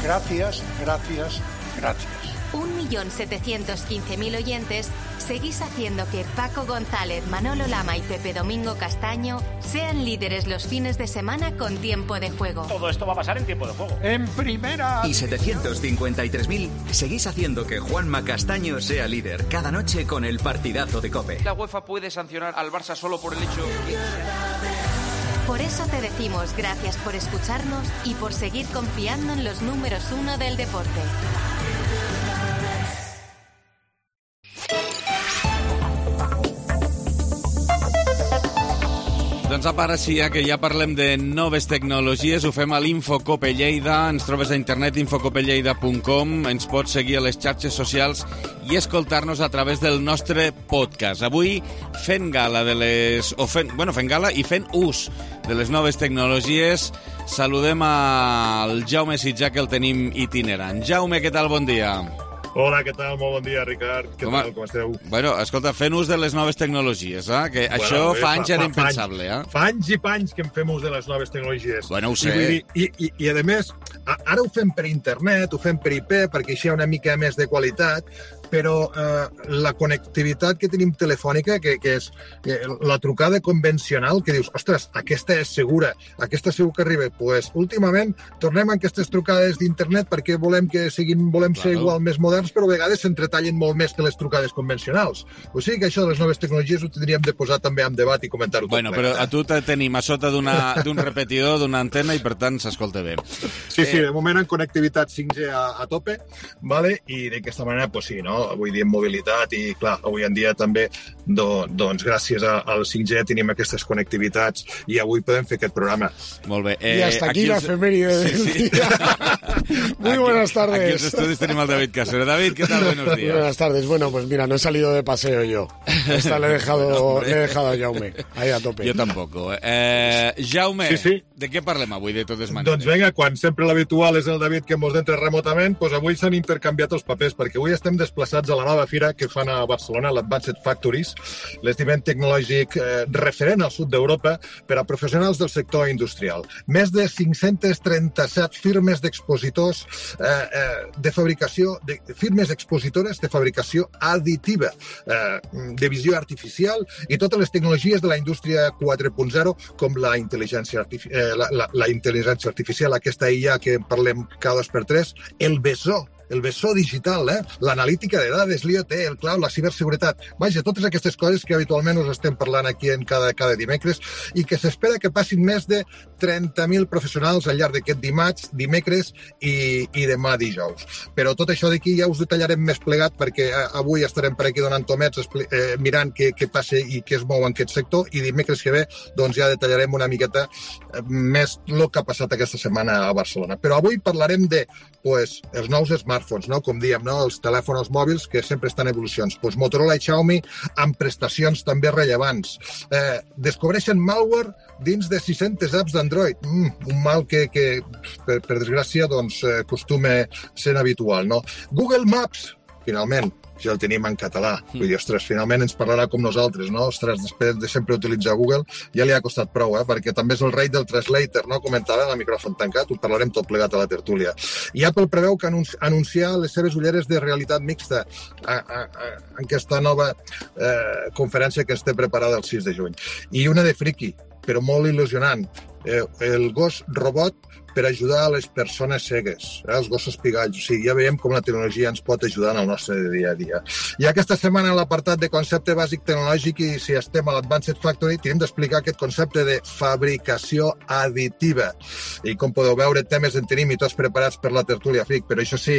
Gracias, gracias, gracias. 1.715.000 oyentes, seguís haciendo que Paco González, Manolo Lama y Pepe Domingo Castaño sean líderes los fines de semana con tiempo de juego. Todo esto va a pasar en tiempo de juego. En primera... Y 753.000, seguís haciendo que Juanma Castaño sea líder cada noche con el partidazo de COPE. La UEFA puede sancionar al Barça solo por el hecho que... Por eso te decimos gracias por escucharnos y por seguir confiando en los números 1 del deporte. Doncs ara sí, que ja parlem de noves tecnologies, ho fem a l'Infocope Lleida, ens trobes a internet infocopelleida.com, ens pots seguir a les xarxes socials i escoltar-nos a través del nostre podcast. Avui fent gala fent gala i fent ús de les noves tecnologies, saludem al Jaume Sitjà, que el tenim itinerant. Jaume, què tal? Bon dia. Hola, què tal? Molt bon dia, Ricard. Què tal? Com esteu? Bueno, escolta, fent ús de les noves tecnologies, que això fa anys era impensable, Fa anys i panys que en fem ús de les noves tecnologies. Bueno, ho sé. I a més, ara ho fem per internet, ho fem per IP, perquè així hi ha una mica més de qualitat, però la connectivitat que tenim telefònica, que és la trucada convencional, que dius, ostres, aquesta és segura, aquesta segur que arriba. Pues, últimament, tornem a aquestes trucades d'internet perquè volem ser igual més moderns, però a vegades s'entretallen molt més que les trucades convencionals. O sigui que això de les noves tecnologies ho tindríem de posar també en debat i comentar-ho tot. Bueno, però a tu te tenim a sota d'un repetidor, d'una antena, i per tant s'escolta bé. Sí, de moment en connectivitat 5G a tope, vale? I d'aquesta manera, pues sí, no? Avui dia en mobilitat i, clar, avui en dia també, doncs, gràcies al 5G tenim aquestes connectivitats i avui podem fer aquest programa. Molt bé. Y hasta aquí la efeméride del día. Muy buenas tardes. Aquí en los estudios tenemos al David Casero. David, ¿qué tal? Buenos días. Buenas tardes. Bueno, pues mira, no he salido de paseo yo. Esta le he dejado a Jaume, ahí a tope. Jo tampoc. Jaume, de què parlem avui, de totes maneres? Doncs vinga, quan sempre l'habitual és el David que mos entra remotament, doncs avui s'han intercanviat els papers, perquè avui estem desplaçats a la nova fira que fan a Barcelona, l'Advanced Factories, l'esdeveniment tecnològic referent al sud d'Europa per a professionals del sector industrial. Més de 537 firmes d'expositors de fabricació, firmes expositores de fabricació additiva, de visió artificial i totes les tecnologies de la indústria 4.0, com la intel·ligència artificial, aquesta IA que en parlem cada 2 per 3, el BESO, el bessó digital, l'analítica de dades, l'IoT, el cloud, la ciberseguretat. Vaja, totes aquestes coses que habitualment us estem parlant aquí en cada dimecres i que s'espera que passin més de 30.000 professionals al llarg d'aquest dimarts, dimecres i demà dijous. Però tot això d'aquí ja us detallarem més plegat perquè avui estarem per aquí donant tomets mirant què passa i què es mou en aquest sector i dimecres que ve doncs ja detallarem una miqueta més el que ha passat aquesta setmana a Barcelona. Però avui parlarem de els nous smartphones, no? Com diem, no? Els telèfons mòbils que sempre estan en evolucions. Motorola i Xiaomi amb prestacions també rellevants. Descobreixen malware dins de 600 apps d'Android. Un mal que per desgràcia, doncs, acostuma sent habitual, no? Google Maps, finalment, ja el tenim en català. Vull dir, ostres, finalment ens parlarà com nosaltres, no? Ostres, després de sempre utilitzar Google, ja li ha costat prou, perquè també és el rei del translator, no? Comentava en el micròfon tancat, ho parlarem tot plegat a la tertúlia. I Apple preveu que anunciar les seves ulleres de realitat mixta en aquesta nova conferència que ens té preparada el 6 de juny. I una de friki, però molt il·lusionant, el gos robot per ajudar a les persones cegues, els gossos pigalls. O sigui, ja veiem com la tecnologia ens pot ajudar en el nostre dia a dia. I aquesta setmana, a l'apartat de concepte bàsic tecnològic, i si estem a l'Advanced Factory, tenim d'explicar aquest concepte de fabricació additiva. I com podeu veure, temes en tenim i tots preparats per la tertúlia FIC, però això sí,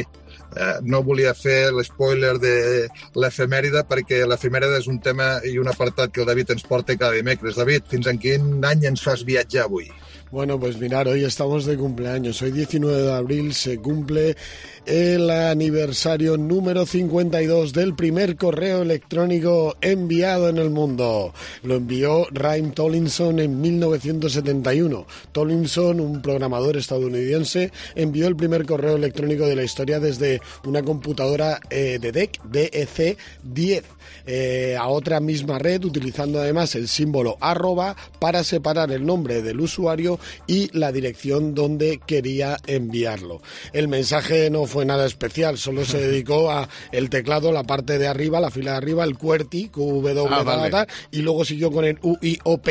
no volia fer l'espoiler de l'efemèride, perquè l'efemèride és un tema i un apartat que el David ens porta cada dimecres. David, fins en quin any ens fas viatjar avui? Bueno, pues mirar, hoy estamos de cumpleaños. Hoy 19 de abril se cumple el aniversario número 52 del primer correo electrónico enviado en el mundo. Lo envió Raym Tomlinson en 1971. Tomlinson, un programador estadounidense, envió el primer correo electrónico de la historia desde una computadora de DEC 10 a otra misma red, utilizando además el símbolo @ para separar el nombre del usuario y la dirección donde quería enviarlo. El mensaje no fue nada especial, solo se dedicó a el teclado, la parte de arriba, la fila de arriba, el QWERTY, vale. Y luego siguió con el UIOP,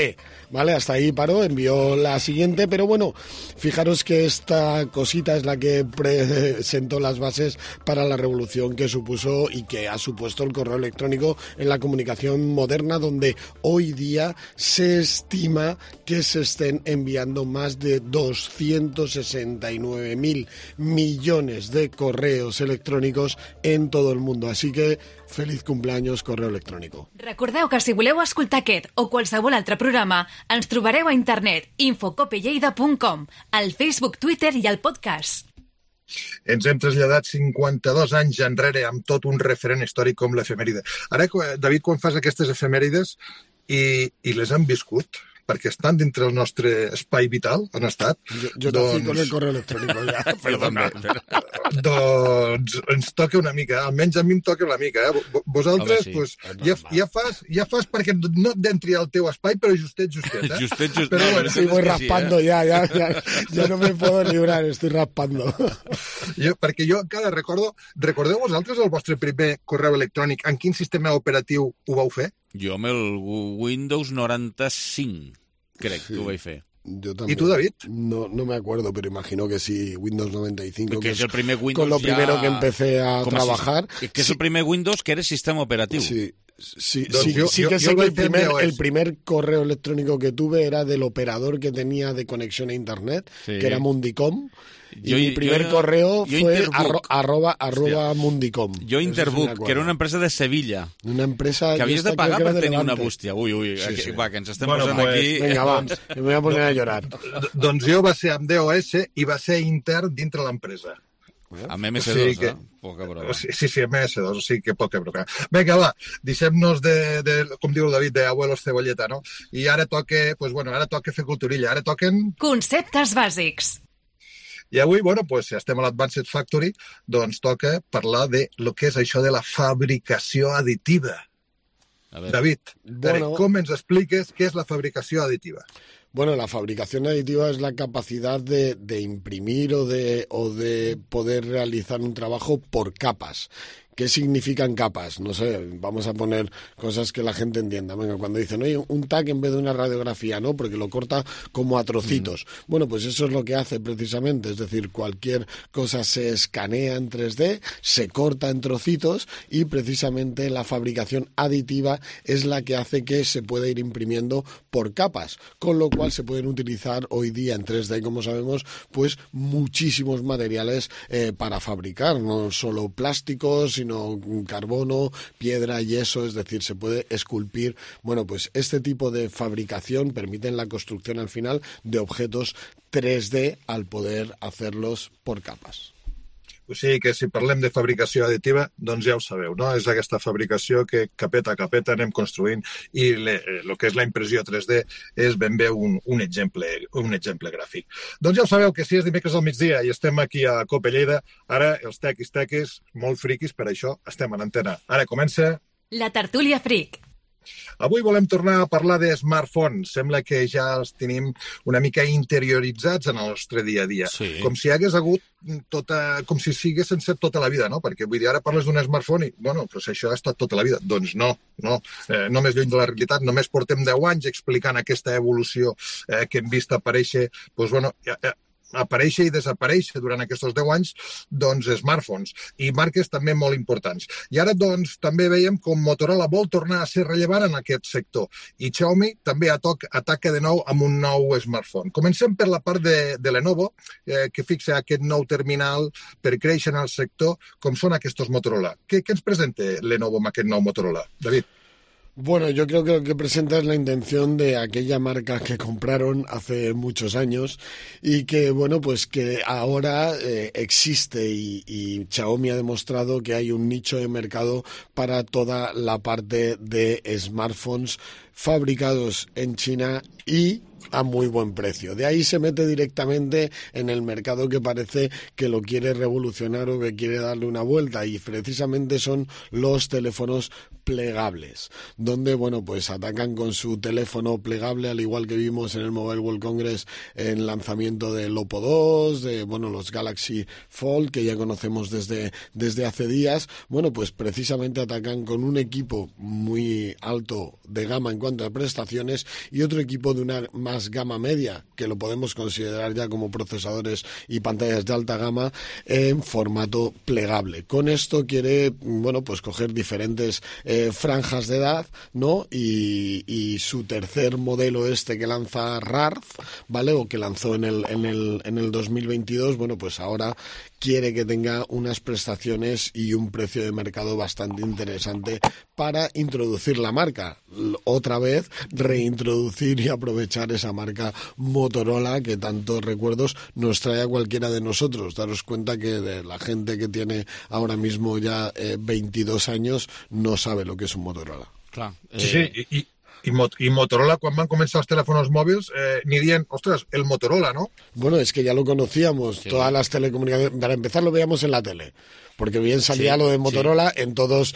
¿vale? Hasta ahí paró, envió la siguiente, pero bueno, fijaros que esta cosita es la que presentó las bases para la revolución que supuso y que ha supuesto el correo electrónico en la comunicación moderna, donde hoy día se estima que se estén enviando más de 269.000 millones de correos electrónicos en todo el mundo. Así que feliz cumpleaños, correo electrònico. Recordeu que si voleu escoltar aquest o qualsevol altre programa, ens trobareu a internet infocopelleida.com, al Facebook, Twitter i al podcast. Ens hem traslladat 52 anys enrere amb tot un referent històric com l'efemèride. Ara, David, quan fas aquestes efemèrides i les han viscut, perquè estan dintre el nostre espai vital, han estat. Jo nací con el correo electrónico ja, perdona. Doncs ens toca una mica, almenys a mi em toca una mica. Vosaltres, pues, ja fas perquè no et entri al teu espai, però justet. Justet. Pero bueno, sí, voy raspando, ya no me puedo librar, estoy raspando. Perquè jo encara recordeu vosaltres el vostre primer correu electrònic? En quin sistema operatiu ho vau fer? Jo amb el Windows 95, crec que ho vaig fer. Yo también. ¿Y tú, David? No me acuerdo, pero imagino que sí, Windows 95, que es el primer Windows con lo ya... primero que empecé a trabajar. Que es el primer Windows que era sistema operativo. Sí que sé que el primer correo electrónico que tuve era del operador que tenía de conexión a internet, que era Mundicom. Y mi primer correo fue arroba Mundicom. Yo Interbook, que era una empresa de Sevilla. Una empresa que havies de pagar per tenir una bústia. Ui, sí. Va, que ens estem posant aquí... Vinga, va, me voy a poner a llorar. Doncs jo va ser amb DOS i va ser intern dintre l'empresa. Amb MS2, poca broma. Sí, MS2, o sigui que poca broma. Vinga, va, deixem-nos de, com diu el David, de abuelos cebolleta, no? I ara toca fer culturilla, ara toquen... Conceptes bàsics. I avui, si estem a l'Advanced Factory, doncs toca parlar de lo que és això de la fabricació additiva. David, com ens expliques què és la fabricació additiva? Bueno, la fabricación aditiva es la capacidad de imprimir o de poder realizar un trabajo por capas, ¿Qué significan capas? No sé, vamos a poner cosas que la gente entienda. Venga, cuando dicen, oye, un TAC en vez de una radiografía, ¿no? Porque lo corta como a trocitos. Bueno, pues eso es lo que hace precisamente, es decir, cualquier cosa se escanea en 3D, se corta en trocitos y precisamente la fabricación aditiva es la que hace que se pueda ir imprimiendo por capas, con lo cual se pueden utilizar hoy día en 3D, como sabemos, pues muchísimos materiales para fabricar, no solo plásticos, sino carbono, piedra, yeso, es decir, se puede esculpir. Bueno, pues este tipo de fabricación permite la construcción al final de objetos 3D al poder hacerlos por capas. O sigui que si parlem de fabricació additiva, doncs ja ho sabeu, no? És aquesta fabricació que capeta a capeta anem construint i el que és la impressió 3D és ben bé un exemple gràfic. Doncs ja ho sabeu que si és dimecres al migdia i estem aquí a Cope Lleida, ara els tequis, molt friquis, per això estem en antena. Ara comença... La tertúlia fric. Avui volem tornar a parlar de smartphones. Sembla que ja els tenim una mica interioritzats en el nostre dia a dia. Sí. Com si hagués hagut com si siguessin set tota la vida, no? Perquè vull dir, ara parles d'un smartphone i, bueno, doncs això ha estat tota la vida. Doncs no. Només lluny de la realitat, només portem 10 anys explicant aquesta evolució que hem vist aparèixer, doncs, bueno, aparèixer i desaparèixer durant aquests 10 anys, doncs, smartphones i marques també molt importants. I ara, doncs, també veiem com Motorola vol tornar a ser rellevant en aquest sector i Xiaomi també ataca de nou amb un nou smartphone. Comencem per la part de Lenovo, que fixa aquest nou terminal per créixer en el sector, com són aquests Motorola. Què ens presenta Lenovo amb aquest nou Motorola? David. Bueno, yo creo que lo que presenta es la intención de aquella marca que compraron hace muchos años y que, bueno, pues que ahora existe y Xiaomi ha demostrado que hay un nicho de mercado para toda la parte de smartphones fabricados en China y a muy buen precio. De ahí se mete directamente en el mercado que parece que lo quiere revolucionar o que quiere darle una vuelta y precisamente son los teléfonos plegables, donde, bueno, pues atacan con su teléfono plegable, al igual que vimos en el Mobile World Congress en lanzamiento del Oppo 2, de, bueno, los Galaxy Fold, que ya conocemos desde hace días. Bueno, pues precisamente atacan con un equipo muy alto de gama en cuanto a prestaciones y otro equipo de una más gama media, que lo podemos considerar ya como procesadores y pantallas de alta gama, en formato plegable. Con esto quiere, bueno, pues coger diferentes franjas de edad, ¿no? Y su tercer modelo que lanza Rarz, ¿vale? O que lanzó en el 2022, bueno, pues ahora quiere que tenga unas prestaciones y un precio de mercado bastante interesante para introducir la marca. Otra vez, reintroducir y aprovechar esa marca Motorola que tantos recuerdos nos trae a cualquiera de nosotros. Daros cuenta que de la gente que tiene ahora mismo ya 22 años no sabe lo que es un Motorola. Clar. Sí. I Motorola, quan van començar els telèfons mòbils, ni dient, ostres, el Motorola, ¿no? Bueno, es que ya lo conocíamos, sí. Todas las telecomunicaciones, para empezar lo veíamos en la tele, porque bien salía lo de Motorola en todos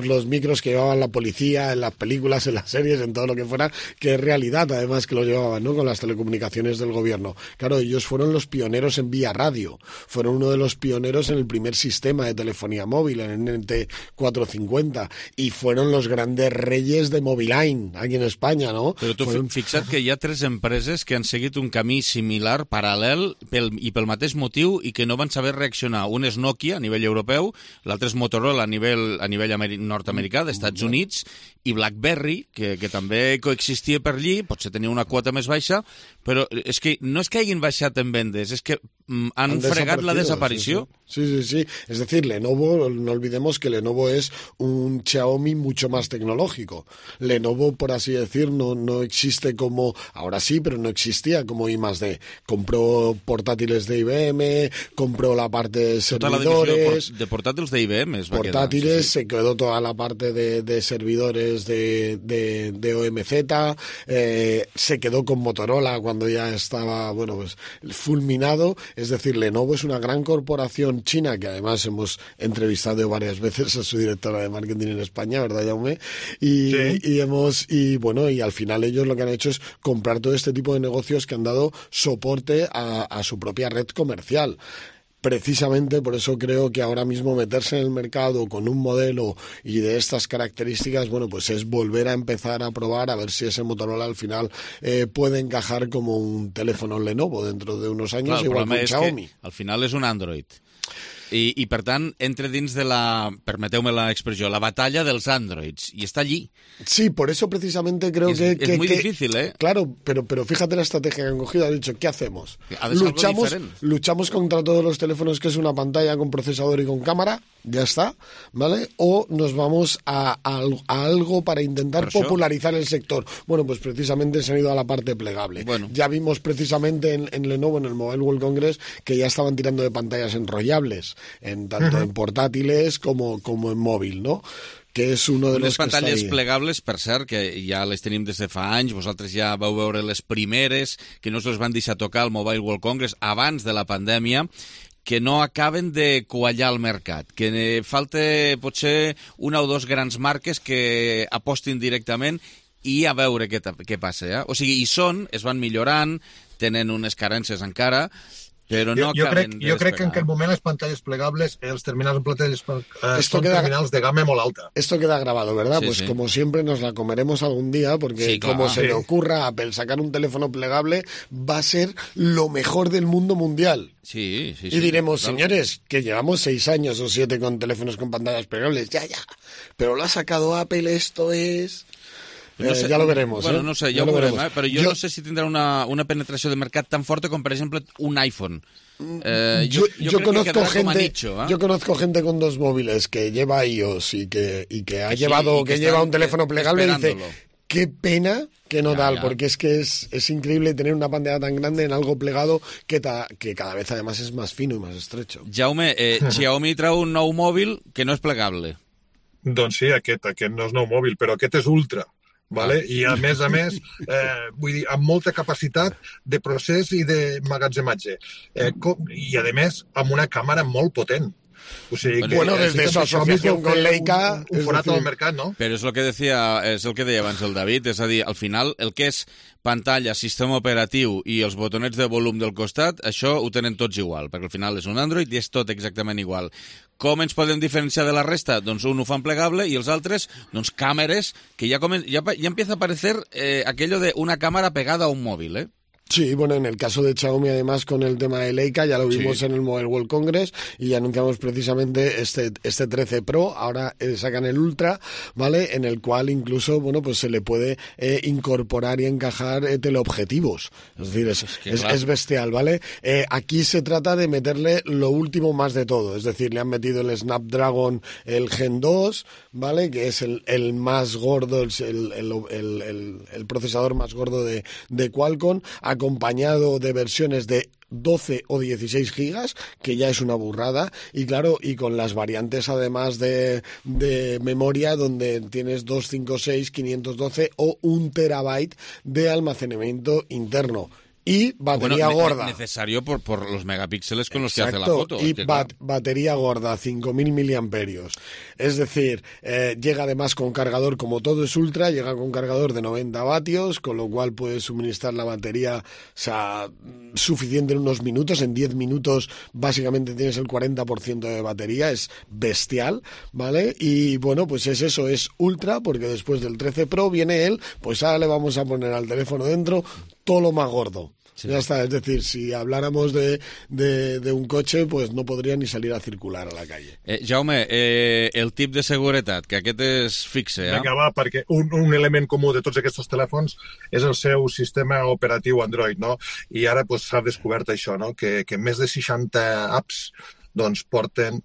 los micros que llevaban la policía, en las películas, en las series, en todo lo que fuera, que es realidad, además, que lo llevaban, ¿no? Con las telecomunicaciones del gobierno. Claro, ellos fueron los pioneros en vía radio, fueron uno de los pioneros en el primer sistema de telefonía móvil, en el NT450, y fueron los grandes reyes de Moviline, aquí en España, ¿no? Però tu fixa't que hi ha 3 empreses que han seguit un camí similar, paral·lel, pel mateix motiu, i que no van saber reaccionar. Un és Nokia, a nivell europeu, l'altre és Motorola a nivell nord-americà, d'Estats Units, i BlackBerry, que també coexistia per allí, potser tenia una quota més baixa, però és que no és que hagin baixat en vendes, és que han fregat la desaparició. Sí. Es decir, Lenovo, no olvidemos que Lenovo es un Xiaomi mucho más tecnológico. Lenovo, por así decir, no existe como... Ahora sí, pero no existía como I+D. Compró portátiles de IBM, compró la parte de servidores... de portátiles de IBM. Portátiles, se quedó toda la parte de servidores de OMZ, se quedó con Motorola cuando ya estaba, bueno, pues fulminado. Es decir, Lenovo es una gran corporación china, que además hemos entrevistado varias veces a su directora de marketing en España, ¿verdad, Jaume? Y al final ellos lo que han hecho es comprar todo este tipo de negocios que han dado soporte a su propia red comercial. precisamente por eso creo que ahora mismo meterse en el mercado con un modelo y de estas características, bueno, pues es volver a empezar a probar a ver si ese Motorola al final puede encajar como un teléfono Lenovo dentro de unos años, clar, igual que un Xiaomi. Al final és un Android. I per tant, entra dins de la, permeteu-me l'expressió, la batalla dels Androids, y está allí. Sí, por eso precisamente creo es muy difícil, ¿eh? Claro, pero fíjate la estrategia que han cogido. Han dicho, ¿qué hacemos? Luchamos contra todos los teléfonos que es una pantalla con procesador y con cámara, ya está, ¿vale? O nos vamos a algo para intentar popularizar el sector. Bueno, pues precisamente se han ido a la parte plegable. Bueno. Ya vimos precisamente en Lenovo, en el Mobile World Congress, que ya estaban tirando de pantallas enrollables, tanto en portátiles como en móvil, ¿no? Que és uno de los que pantalles plegables, per cert, que ja les tenim des de fa anys, vosaltres ja vau veure les primeres, que no se'ls van deixar tocar al Mobile World Congress abans de la pandèmia, que no acaben de quallar el mercat, que falta potser una o dos grans marques que apostin directament i a veure què passa. Eh? O sigui, es van millorant, tenen unes carències encara, però no acaben de jo crec que en aquest moment les pantalles plegables, els terminals en pantalles son terminals de gama molt alta. Esto queda grabado, ¿verdad? Sí, pues sí. Como siempre nos la comeremos algún día, porque sí, como se le ocurra a Apple sacar un teléfono plegable, va a ser lo mejor del mundo mundial. Sí. Y diremos, claro, señores, que llevamos 6 años o 7 con teléfonos con pantallas plegables, ya. Pero lo ha sacado Apple, esto es... No sé, ya lo veremos. Bueno, no sé, ja ho veurem, però jo no sé si tindrà una penetració de mercat tan forta com, per exemple, un iPhone. Yo conozco gente con 2 móviles que lleva iOS y que lleva un teléfono plegable y dice, qué pena que no tal, porque es que es increíble tener una pantalla tan grande en algo plegado que cada vez además es más fino y más estrecho. Jaume, Xiaomi treu un nou mòbil que no és plegable. Doncs sí, aquest no és nou mòbil, però aquest és ultra. Vale? I a més, vull dir, amb molta capacitat de procés i de magatzematge. I a més, amb una càmera molt potent. O sigui, bueno, desde su asociación con Leica... Un forat al mercat, no? Però és el que deia abans el David, és a dir, al final, el que és pantalla, sistema operatiu i els botonets de volum del costat, això ho tenen tots igual, perquè al final és un Android i és tot exactament igual. Com ens podem diferenciar de la resta? Doncs un ho fan plegable i els altres, doncs càmeres, que ja empieza a aparecer aquello de una cámara pegada a un móvil, ¿eh? Sí, bueno, en el caso de Xiaomi, además, con el tema de Leica, ya lo vimos en el Mobile World Congress y anunciamos precisamente este 13 Pro, ahora sacan el Ultra, ¿vale? En el cual incluso, bueno, pues se le puede incorporar y encajar teleobjetivos. Es decir, es bestial, ¿vale? Aquí se trata de meterle lo último más de todo, es decir, le han metido el Snapdragon, el Gen 2, ¿vale? Que es el más gordo, el procesador más gordo de Qualcomm, acompañado de versiones de 12 o 16 gigas, que ya es una burrada, y claro, y con las variantes además de memoria, donde tienes 256, 512 o 1 terabyte de almacenamiento interno. Y batería gorda. Necesario por los megapíxeles con los que hace la foto. Y batería gorda, 5.000 miliamperios. Es decir, llega además con cargador, como todo es ultra, llega con cargador de 90 vatios, con lo cual puedes suministrar la batería, o sea, suficiente en unos minutos. En 10 minutos básicamente tienes el 40% de batería, es bestial, ¿vale? Y bueno, pues es eso, es ultra, porque después del 13 Pro viene pues ahora le vamos a poner al teléfono dentro todo lo más gordo. Sí. Ya está, es decir, si habláramos de un coche, pues no podría ni salir a circular a la calle. Jaume, el tip de seguretat, que aquest és fixe, eh? Vinga, va, perquè un element comú de tots aquests telèfons és el seu sistema operatiu Android, no? I ara pues, s'ha descobert això, no? Que més de 60 apps doncs, porten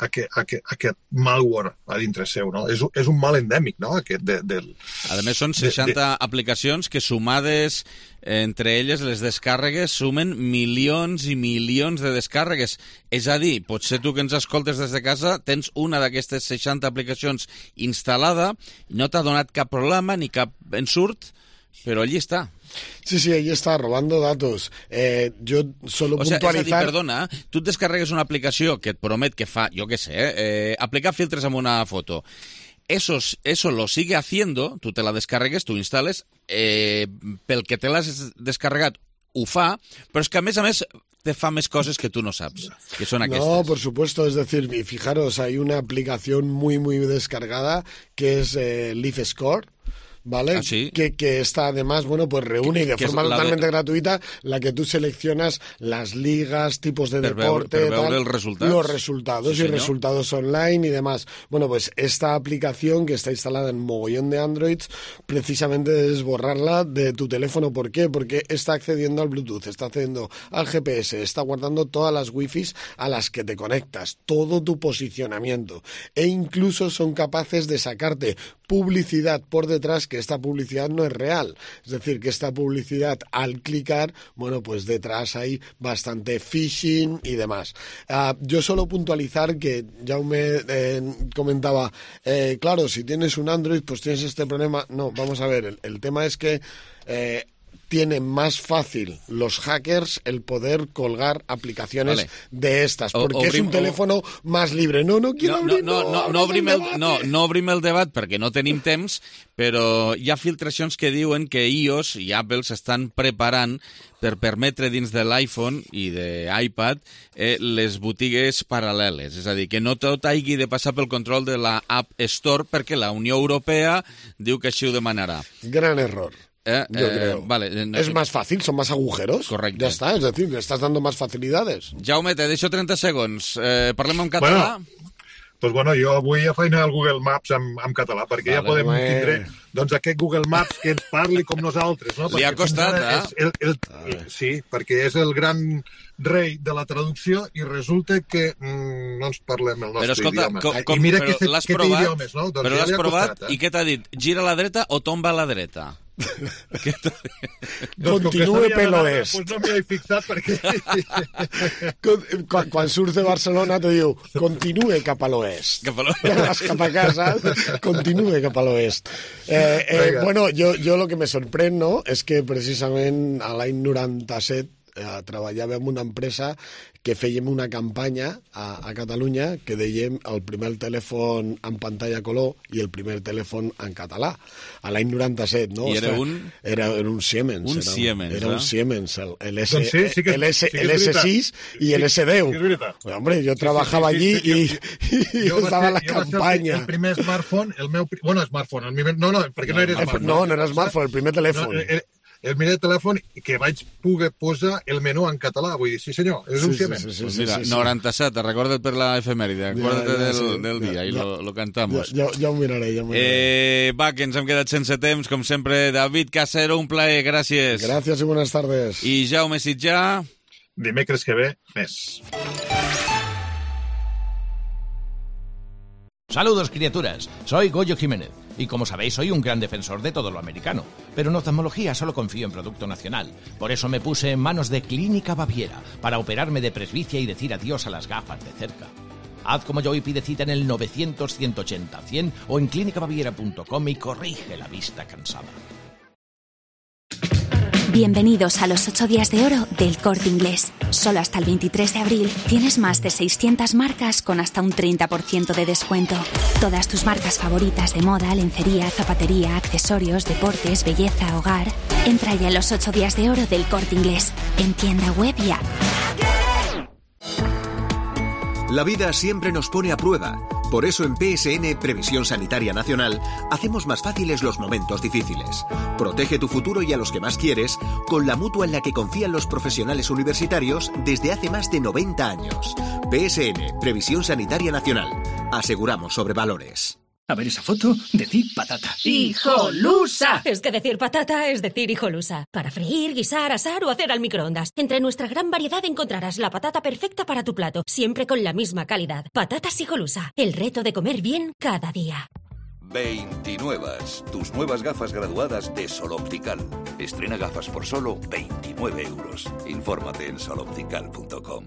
aquest malware a dintre seu, no? És un mal endèmic, no? A més, són 60 aplicacions que sumades entre elles les descàrregues sumen milions i milions de descàrregues. És a dir, potser tu que ens escoltes des de casa tens una d'aquestes 60 aplicacions instal·lada, no t'ha donat cap problema ni cap ensurt, però allí està. Sí, ahí está, robando datos. Yo solo puntualizar... És a dir, perdona, tu et descarregues una aplicació que et promet que fa, jo què sé, aplicar filtres amb una foto. Eso lo sigue haciendo, tú te la descarregues, tú instales, pel que te l'has descarregat ho fa, però és que a més te fa més coses que tu no saps, que són aquestes. No, por supuesto, es decir, fijaros, hay una aplicación muy descargada que es Leaf Score, ¿vale? ¿Ah, sí? Que está además, bueno, pues reúne y de forma totalmente gratuita la que tú seleccionas las ligas, tipos de deporte, los resultados y resultados online y demás. Bueno, pues esta aplicación que está instalada en mogollón de Androids, precisamente es borrarla de tu teléfono. ¿Por qué? Porque está accediendo al Bluetooth, está accediendo al GPS, está guardando todas las wifis a las que te conectas, todo tu posicionamiento, e incluso son capaces de sacarte publicidad por detrás, que esta publicidad no es real. Es decir, que esta publicidad, al clicar, bueno, pues detrás hay bastante phishing y demás. Yo solo puntualizar que Jaume comentaba, claro, si tienes un Android, pues tienes este problema. No, vamos a ver, el tema es que tienen más fácil los hackers el poder colgar aplicaciones de estas, porque es un teléfono más libre. No quiero abrir... No obrim el debat perquè no tenim temps, però hi ha filtracions que diuen que iOS i Apple s'estan preparant per permetre dins de l'iPhone i de iPad les botigues paral·leles. És a dir, que no tot hagi de passar pel control de la App Store perquè la Unió Europea diu que així ho demanarà. Gran error. Yo creo. Vale, es más fácil, son más agujeros. Correcto. Ya está, es decir, le estás dando más facilidades. Jaume, te deixo 30 segons. Parlem en català? Doncs bueno, jo avui a feina el Google Maps en català, perquè ja podem tindre doncs aquest Google Maps que ens parli com nosaltres. No? Li ha costat, sí, perquè és el gran rei de la traducció i resulta que no ens parlem el nostre idioma. I mira que té idiomes, no? Però l'has provat i què t'ha dit? Gira a la dreta o tomba a la dreta? Continúe pel oest. Pues no m'hi he fixat perquè... Quan surts de Barcelona te diu continue cap a l'oest. Vas cap a casa, continue cap a l'oest. Bueno, yo lo que me sorprèn, no?, és que precisament a l'any 97 treballava en una empresa que fèiem una campanya a Catalunya que dèiem el primer telèfon en pantalla color i el primer telèfon en català. A l'any 97, no? I era un? Era un Siemens. Un Siemens, era un Siemens, el S6 y el S10. Hombre, yo trabajaba allí y estaba en la campaña. El primer smartphone, el meu... Bueno, smartphone, no, perquè no era smartphone. No era smartphone, el primer telèfon. El primer telèfon que vaig poder posar el menú en català. Vull dir, sí senyor, és un Siemens. Pues mira, 97, recorda't per la efemèride, acuérdate del dia i lo cantamos. Ja ho miraré. Va, que ens hem quedat sense temps, com sempre. David Casero, un plaer, gràcies. Gràcies i buenas tardes. I Jaume Sitjà. Dimecres que ve, més. Saludos, criaturas. Soy Goyo Jiménez. Y como sabéis, soy un gran defensor de todo lo americano. Pero en oftalmología solo confío en producto nacional. Por eso me puse en manos de Clínica Baviera para operarme de presbicia y decir adiós a las gafas de cerca. Haz como yo y pide cita en el 900-180-100 o en clinicabaviera.com y corrige la vista cansada. Bienvenidos a los 8 días de oro del Corte Inglés. Solo hasta el 23 de abril tienes más de 600 marcas con hasta un 30% de descuento. Todas tus marcas favoritas de moda, lencería, zapatería, accesorios, deportes, belleza, hogar. Entra ya en los 8 días de oro del Corte Inglés, en tienda web y app. La vida siempre nos pone a prueba. Por eso en PSN, Previsión Sanitaria Nacional, hacemos más fáciles los momentos difíciles. Protege tu futuro y a los que más quieres con la mutua en la que confían los profesionales universitarios desde hace más de 90 años. PSN, Previsión Sanitaria Nacional. Aseguramos sobre valores. A ver esa foto, decir patata. ¡Hijolusa! Es que decir patata es decir hijolusa. Para freír, guisar, asar o hacer al microondas. Entre nuestra gran variedad encontrarás la patata perfecta para tu plato, siempre con la misma calidad. Patatas Hijolusa, el reto de comer bien cada día. 29. Tus nuevas gafas graduadas de Sol Optical. Estrena gafas por solo 29 euros. Infórmate en soloptical.com.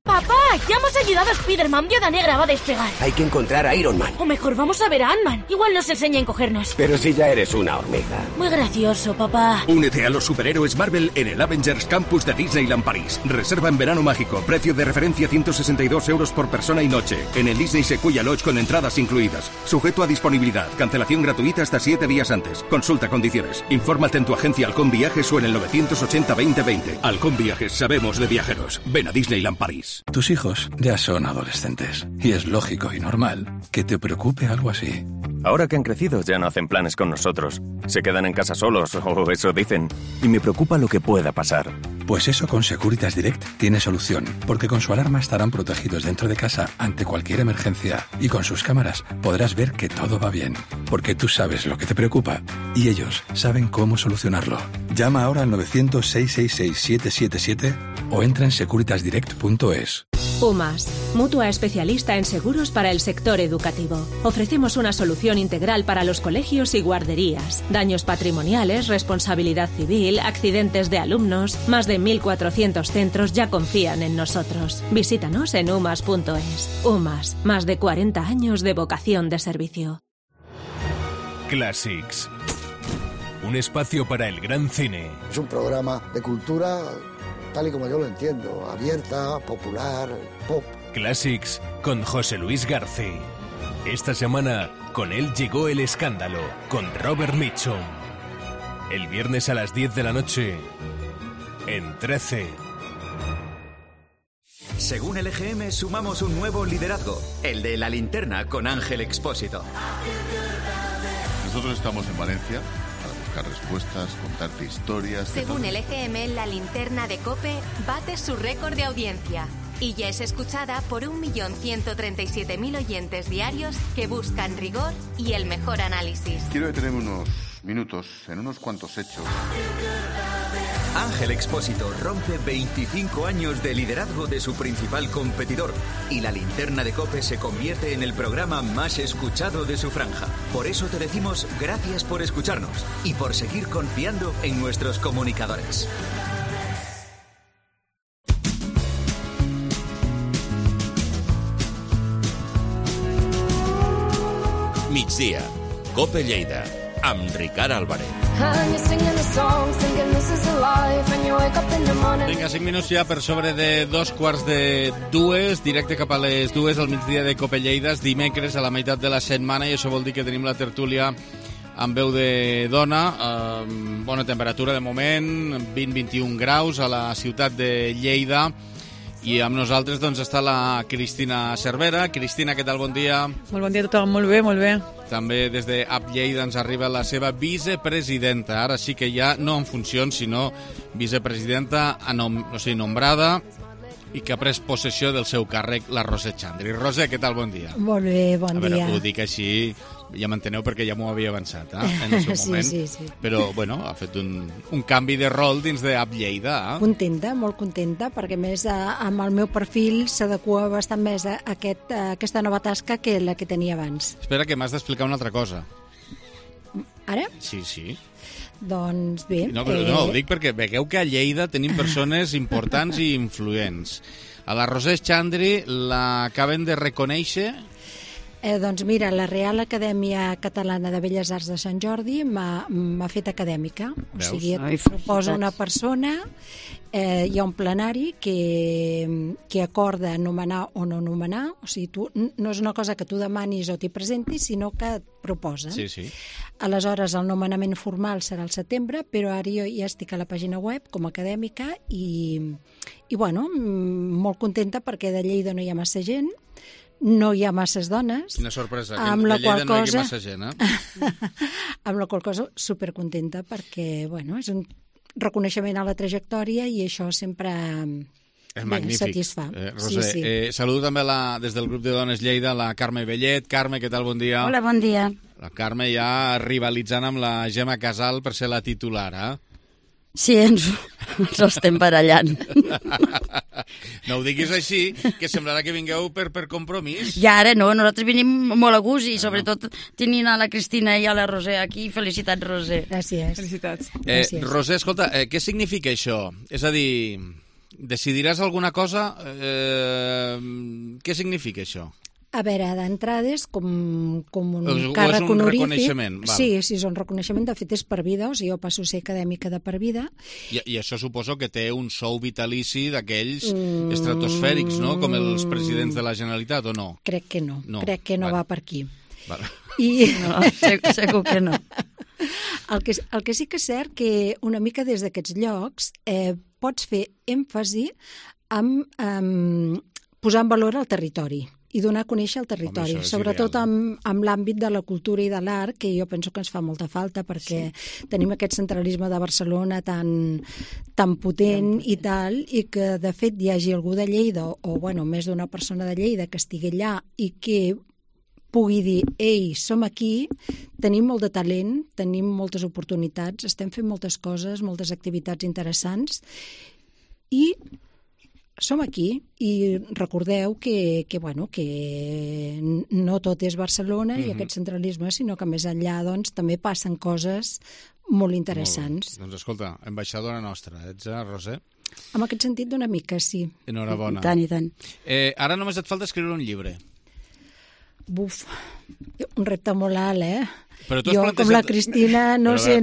¡Papá! ¡Ya hemos ayudado a Spider-Man! Viuda Negra va a despegar. Hay que encontrar a Iron Man. O mejor, vamos a ver a Ant-Man. Igual nos enseña a encogernos. Pero si ya eres una hormiga. Muy gracioso, papá. Únete a los superhéroes Marvel en el Avengers Campus de Disneyland París. Reserva en verano mágico. Precio de referencia 162 euros por persona y noche. En el Disney Sequoia Lodge con entradas incluidas. Sujeto a disponibilidad. Cancelación gratuita hasta 7 días antes. Consulta condiciones. Infórmate en tu agencia Halcón Viajes o en el 980-2020. Halcón Viajes, sabemos de viajeros. Ven a Disneyland París. Tus hijos ya son adolescentes y es lógico y normal que te preocupe algo así. Ahora que han crecido ya no hacen planes con nosotros. Se quedan en casa solos, o eso dicen. Y me preocupa lo que pueda pasar. Pues eso con Securitas Direct tiene solución, porque con su alarma estarán protegidos dentro de casa ante cualquier emergencia y con sus cámaras podrás ver que todo va bien, porque tú sabes lo que te preocupa y ellos saben cómo solucionarlo. Llama ahora al 900-666-777 o entra en securitasdirect.es. UMAS, mutua especialista en seguros para el sector educativo. Ofrecemos una solución integral para los colegios y guarderías. Daños patrimoniales, responsabilidad civil, accidentes de alumnos. Más de 1.400 centros ya confían en nosotros. Visítanos en umas.es. UMAS, más de 40 años de vocación de servicio. Classics. Un espacio para el gran cine. Es un programa de cultura tal y como yo lo entiendo, abierta, popular, pop. Classics con José Luis García. Esta semana, con él llegó El Escándalo, con Robert Mitchum. El viernes a las 10 de la noche, en 13. Según el EGM, sumamos un nuevo liderazgo, el de La Linterna con Ángel Expósito. Nosotros estamos en Valencia para buscar respuestas, contarte historias... Según el EGM, La Linterna de COPE bate su récord de audiencia y ya es escuchada por 1.137.000 oyentes diarios que buscan rigor y el mejor análisis. Quiero detenerme unos minutos en unos cuantos hechos. Ángel Expósito rompe 25 años de liderazgo de su principal competidor y La Linterna de COPE se convierte en el programa más escuchado de su franja. Por eso te decimos gracias por escucharnos y por seguir confiando en nuestros comunicadores. Migdia, COPE Lleida, amb Ricard Álvarez. Vinga, 5 minuts ja per sobre de 2:45, directe cap a les 2 al migdia de COPE Lleida, dimecres a la meitat de la setmana, i això vol dir que tenim la tertúlia amb veu de dona, bona temperatura de moment, 20-21 graus a la ciutat de Lleida, i amb nosaltres doncs està la Cristina Cervera. Cristina, què tal? Bon dia. Molt bon dia a tothom, molt bé, molt bé. També des de App Lleida ens arriba la seva vicepresidenta, ara sí que ja no en funcions, sinó vicepresidenta nombrada i que ha pres possessió del seu càrrec, la Roser Xandri. Roser, què tal? Bon dia. Molt bé, bon dia. A veure, ho dic així, ja m'enteneu perquè ja m'ho havia avançat, en el seu moment. Sí. Però, bueno, ha fet un canvi de rol dins d'App Lleida. Contenta, molt contenta, perquè més amb el meu perfil s'adequa bastant més a aquesta nova tasca que la que tenia abans. Espera, que m'has d'explicar una altra cosa. Ara? Sí. Doncs bé... No, però no, ho dic perquè vegueu que a Lleida tenim persones importants i influents. A la Roser Xandri l'acaben de reconèixer... Doncs mira, la Real Acadèmia Catalana de Belles Arts de Sant Jordi m'ha fet acadèmica. Veus? O sigui, et proposa una persona, hi ha un plenari que acorda nomenar o no nomenar, o sigui, no és una cosa que tu demanis o t'hi presentis, sinó que et proposen. Sí. Aleshores, el nomenament formal serà al setembre, però ara jo ja estic a la pàgina web com a acadèmica i bueno, molt contenta perquè de Lleida no hi ha massa gent, no hi ha masses dones. Quina sorpresa, que de Lleida no hi ha massa gent, amb la qual cosa supercontenta perquè, bueno, és un reconeixement a la trajectòria i això sempre és magnífic. Satisfà. Roser, sí. Saludo també des del grup de dones Lleida, la Carme Bellet. Carme, què tal? Bon dia. Hola, bon dia. La Carme ja rivalitzant amb la Gemma Casal per ser la titular, Sí, ens estem barallant. No ho diguis així, que semblarà que vingueu per compromís. I ara no, nosaltres venim molt a gust i sobretot tenint a la Cristina i a la Roser aquí. Felicitats, Roser. Gràcies. Felicitats. Roser, escolta, què significa això? És a dir, decidiràs alguna cosa? Què significa això? A veure, d'entrada és com un és càrrec un honorífic. reconeixement, val. Sí, és un reconeixement. De fet, és per vida, o sigui, jo passo a ser acadèmica de per vida. I això suposo que té un sou vitalici d'aquells estratosfèrics, no? Com els presidents de la Generalitat, o no? Crec que no. Crec que no va per aquí. Vale. No, segur que no. El que sí que és cert que una mica des d'aquests llocs pots fer èmfasi amb posar en valor el territori i donar a conèixer el territori, sobretot amb l'àmbit de la cultura i de l'art, que jo penso que ens fa molta falta, perquè tenim aquest centralisme de Barcelona tan potent i tal, i que de fet hi hagi algú de Lleida, o bueno, més d'una persona de Lleida que estigui allà i que pugui dir, ei, som aquí, tenim molt de talent, tenim moltes oportunitats, estem fent moltes coses, moltes activitats interessants, i som aquí, i recordeu que no tot és Barcelona i aquest centralisme, sinó que més enllà doncs, també passen coses molt interessants. Doncs escolta, ambaixadora nostra, ets, Roser? En aquest sentit, d'una mica, sí. Enhorabona. I tant. Ara només et falta escriure un llibre. Buf, un repte molt alt, Però jo, com la Cristina, no sé.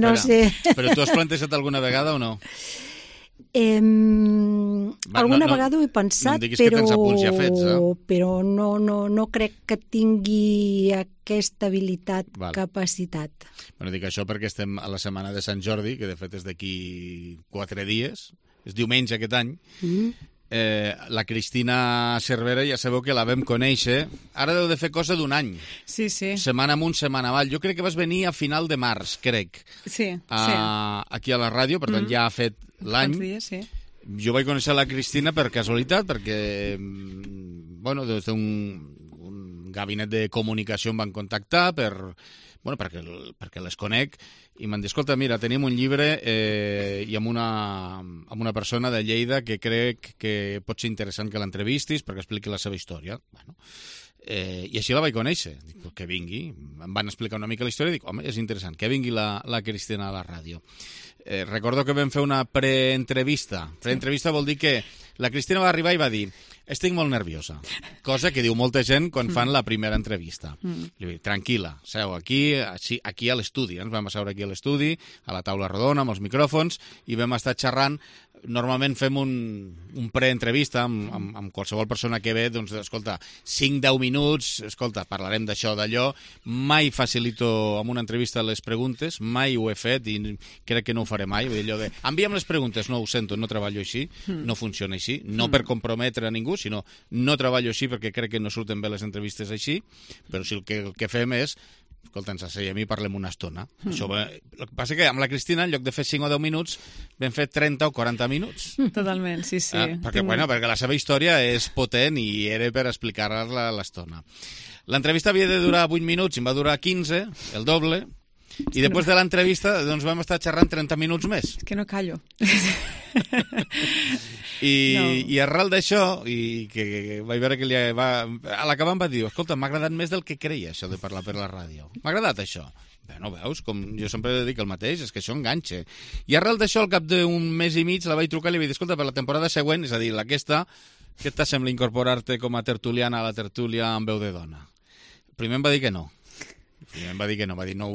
Però tu has plantejat alguna vegada o no? Alguna vegada ho he pensat, no diguis que tens apunts ja fets, però no crec que tingui aquesta habilitat, capacitat. Bueno, dic això perquè estem a la setmana de Sant Jordi, que de fet és d'aquí 4 dies, és diumenge aquest any. La Cristina Cervera ja sabeu que la vam conèixer, ara deu de fer cosa d'un any. Sí. Setmana amunt, setmana avall. Jo crec que vas venir a final de març, crec. Sí. Aquí a la ràdio, per tant ja ha fet l'any. Sí. Jo vaig conèixer la Cristina per casualitat, perquè des d'un gabinet de comunicació em van contactar perquè les conec, i m'han dit, escolta, mira, tenim un llibre i amb una persona de Lleida que crec que pot ser interessant que l'entrevistis perquè expliqui la seva història. I així la vaig conèixer. Dic, que vingui. Em van explicar una mica la història i dic, home, és interessant, que vingui la Cristina a la ràdio. Recordo que vam fer una preentrevista. Preentrevista vol dir que la Cristina va arribar i va dir, estic molt nerviosa, cosa que diu molta gent quan fan la primera entrevista. Li dic, tranquil·la, seu aquí a l'estudi. Ens vam asseure aquí a l'estudi, a la taula rodona, amb els micròfons, i vam estar xerrant. Normalment fem un preentrevista amb qualsevol persona que ve, doncs, escolta, 5-10 minuts, escolta, parlarem d'això, d'allò. Mai facilito amb una entrevista les preguntes, mai ho he fet i crec que no ho faré mai. Vull dir, allò de, envia'm les preguntes, no ho sento, no treballo així, no funciona així, no per comprometre a ningú, sinó no treballo així perquè crec que no surten bé les entrevistes així, però si el que fem és, escolta, ens asseiem i parlem una estona. El que passa que amb la Cristina, en lloc de fer 5 o 10 minuts, vam fer 30 o 40 minuts. Totalment, sí. Perquè la seva història és potent i era per explicar-la l'estona. L'entrevista havia de durar 8 minuts i em va durar 15, el doble, i després de l'entrevista doncs vam estar xerrant 30 minuts més. És que no callo. I arrel d'això, i que vaig veure que a l'acabar em va dir, escolta, m'ha agradat més del que creia això de parlar per la ràdio. M'ha agradat això. No veus, com jo sempre dic el mateix, és que això enganxa. I arrel d'això, al cap d'un mes i mig, la vaig trucar i li vaig dir, escolta, per la temporada següent, és a dir, aquesta, què t'assembla incorporar-te com a tertuliana a la tertúlia amb veu de dona? Primer em va dir que no. Va dir, no,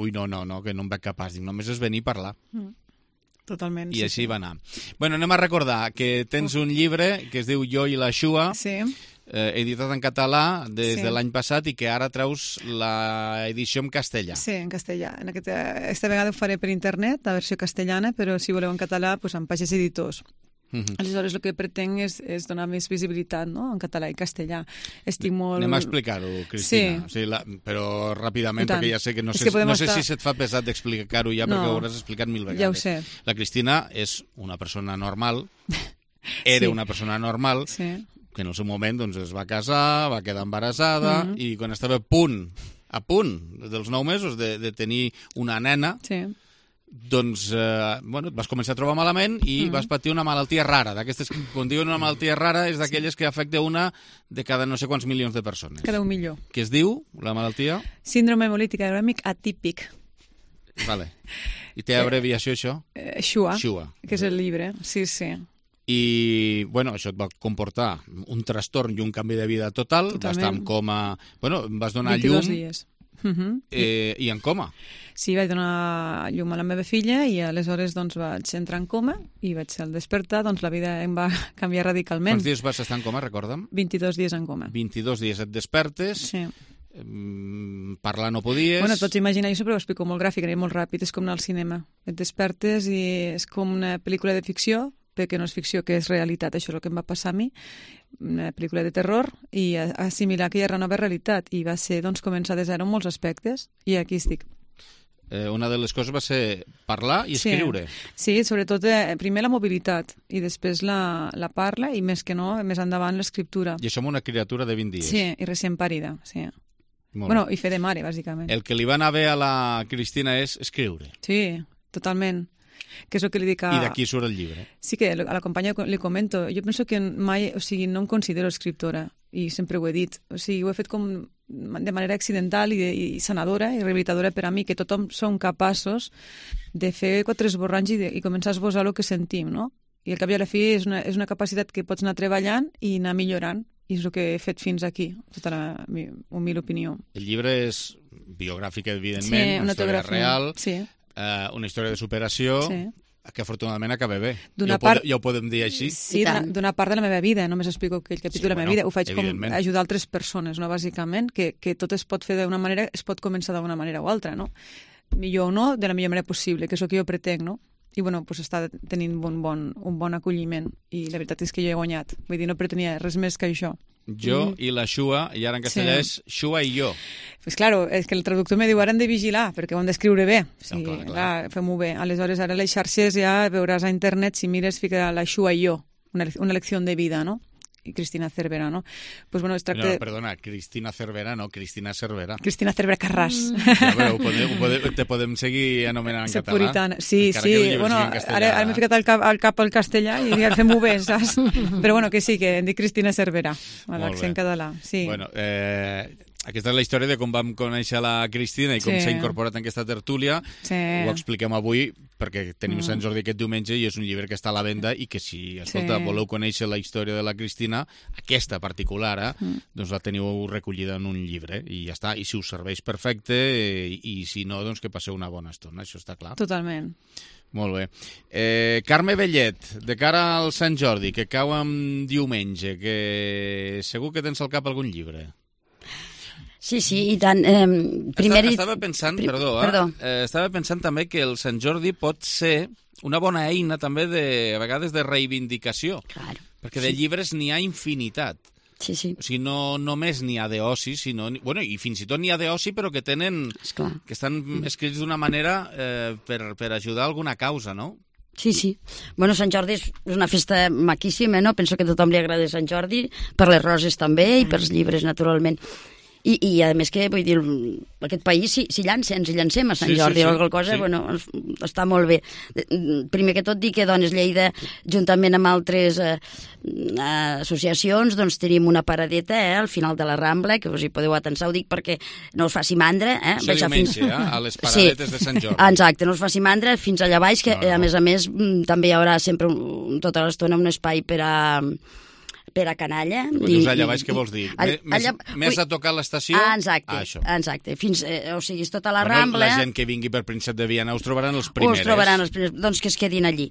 que no em veig capaç. Dic, només és venir a parlar. Totalment. I així va anar. Bueno, anem a recordar que tens un llibre que es diu Jo i la Xua, editat en català des de l'any passat i que ara treus l'edició en castellà. Sí, en castellà. Esta vegada ho faré per internet, la versió castellana, però si voleu en català, doncs en Pagès Editors. Aleshores, el que pretenc és donar més visibilitat, no?, en català i castellà. Estic molt... Anem a explicar-ho, Cristina. Sí. Però ràpidament, perquè ja sé que no sé si se't fa pesat d'explicar-ho ja, perquè ho hauràs explicat 1000 vegades. Ja ho sé. La Cristina és una persona normal, era una persona normal, que en el seu moment doncs, es va casar, va quedar embarassada, i quan estava a punt dels 9 mesos de tenir una nena... doncs, et vas començar a trobar malament i vas patir una malaltia rara. D'aquestes, quan diuen una malaltia rara, és d'aquelles que afecta una de cada no sé quants milions de persones. Cada 1 milió. Què es diu, la malaltia? Síndrome hemolític urèmic atípic. Vale. I té abreviació, això? Xua, que és el llibre, sí. I, bueno, això et va comportar un trastorn i un canvi de vida total. Vas estar en coma... Bueno, vas donar 22 llum... dies. I en coma. Sí, vaig donar llum a la meva filla i aleshores doncs, vaig entrar en coma i vaig al despertar, doncs la vida em va canviar radicalment. Quants dies vas estar en coma, recorda'm? 22 dies en coma. 22 dies et despertes... Sí. Parlar no podies... Bueno, et pots imaginar, jo sempre ho explico molt gràfic, molt ràpid, és com anar al cinema. Et despertes i és com una pel·lícula de ficció, perquè no és ficció, que és realitat, això és el que em va passar a mi, una pel·lícula de terror, i assimilar que hi ha una nova realitat, i va ser doncs, començar de zero en molts aspectes, i aquí estic. Una de les coses va ser parlar i escriure. Sí, sobretot primer la mobilitat, i després la parla, i més que no, més endavant l'escriptura. I això amb una criatura de 20 dies. Sí, i recient parida, sí. Bueno, i fer de mare, bàsicament. El que li va anar bé a la Cristina és escriure. Sí, totalment. Que és el que li dic a... I d'aquí surt el llibre. Sí, que a la companya li comento. Jo penso que mai, o sigui, no em considero escriptora, i sempre ho he dit. O sigui, ho he fet com de manera accidental i sanadora i rehabilitadora per a mi, que tothom som capaços de fer 4 esborranys i començar a esbossar el que sentim, no? I al cap i a la fi és una capacitat que pots anar treballant i anar millorant. I és el que he fet fins aquí, tota la humil opinió. El llibre és biogràfic, evidentment, una història real, una història de superació, que afortunadament acaba bé. Ja ho podem dir així? Sí, d'una part de la meva vida, només explico aquell capítol de la meva vida. Ho faig com ajudar altres persones, no? Bàsicament, que tot es pot fer d'una manera, es pot començar d'una manera o altra, no? Millor o no, de la millor manera possible, que és el que jo pretenc, no? I bueno, pues està tenint un bon acolliment i la veritat és que jo he guanyat. Vull dir, no pretenia res més que això. Jo i la Xua, i ara en castellà és Xua i jo. Pues claro, és que el traductor me diu ara hem de vigilar, perquè ho hem d'escriure bé. O sigui, clar, fem-ho bé. Aleshores, ara les xarxes ja veuràs a internet, si mires, fica la Xua i jo, una lecció de vida, no? I Cristina Cervera, no? Pues bueno, es tracta... No, perdona, Cristina Cervera, no, Cristina Cervera. Cristina Cervera Carràs. Ja, però te podem seguir anomenant en català. Puritana. Sí, bueno, ara m'he ficat al cap al castellà i ja fem-ho bé, saps? Però bueno, que sí, que em dic Cristina Cervera, a l'accent català. Sí. Bueno, aquesta és la història de com vam conèixer la Cristina i com s'ha incorporat en aquesta tertúlia. Ho expliquem avui perquè tenim Sant Jordi aquest diumenge i és un llibre que està a la venda i que si, escolta, voleu conèixer la història de la Cristina, aquesta particular, doncs la teniu recollida en un llibre i ja està. I si us serveix perfecte i si no, doncs que passeu una bona estona, això està clar. Totalment. Molt bé. Carme Bellet, de cara al Sant Jordi, que cau en diumenge, que segur que tens al cap algun llibre. Sí, i tant. Estava pensant, estava pensant també que el Sant Jordi pot ser una bona eina també a vegades de reivindicació. Claro. Perquè de llibres n'hi ha infinitat. Sí. O sigui, no només n'hi ha d'oci, sinó... Bueno, i fins i tot n'hi ha d'oci, però que tenen... que estan escrits d'una manera per ajudar a alguna causa, no? Sí. Bueno, Sant Jordi és una festa maquíssima, no? Penso que a tothom li agrada Sant Jordi, per les roses també i pels llibres, naturalment. I a més que, vull dir, aquest país si llancem a Sant Jordi o alguna cosa, bueno, està molt bé. Primer que tot dir que Dones Lleida, juntament amb altres associacions, doncs tenim una paradeta al final de la Rambla, que us hi podeu atensar, ho dic perquè no us faci mandra. Això diumenge, a les paradetes de Sant Jordi. Exacte, no us faci mandra fins allà baix, que a més també hi haurà sempre tota l'estona un espai per a canalla. Quan dius allà baix, què vols dir? Més a tocar l'estació? Exacte. Fins, o sigui, és tota la Rambla. La gent que vingui per Príncep de Viana us trobaran els primers. Doncs que es quedin allí.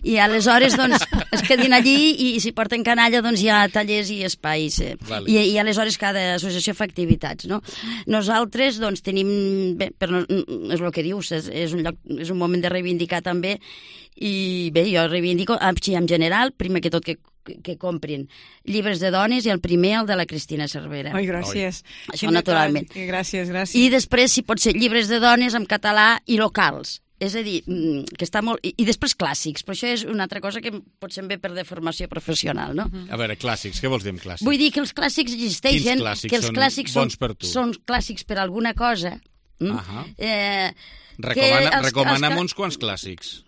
I aleshores, doncs, es quedin allí i si porten canalla, doncs hi ha tallers i espais. I aleshores cada associació fa activitats, no? Nosaltres, doncs, tenim... Bé, és el que dius, és un moment de reivindicar també i bé, jo reivindico en general, primer que tot que comprin llibres de dones i el primer, el de la Cristina Cervera. Ai, gràcies. Això naturalment. Gràcies. I després, si pot ser llibres de dones en català i locals. És a dir, que està molt... I després clàssics, però això és una altra cosa que potser ve per deformació professional, no? A veure, clàssics, què vols dir amb clàssics? Vull dir que els clàssics existeixen, que els clàssics són clàssics per alguna cosa. Recomana'm uns quants clàssics.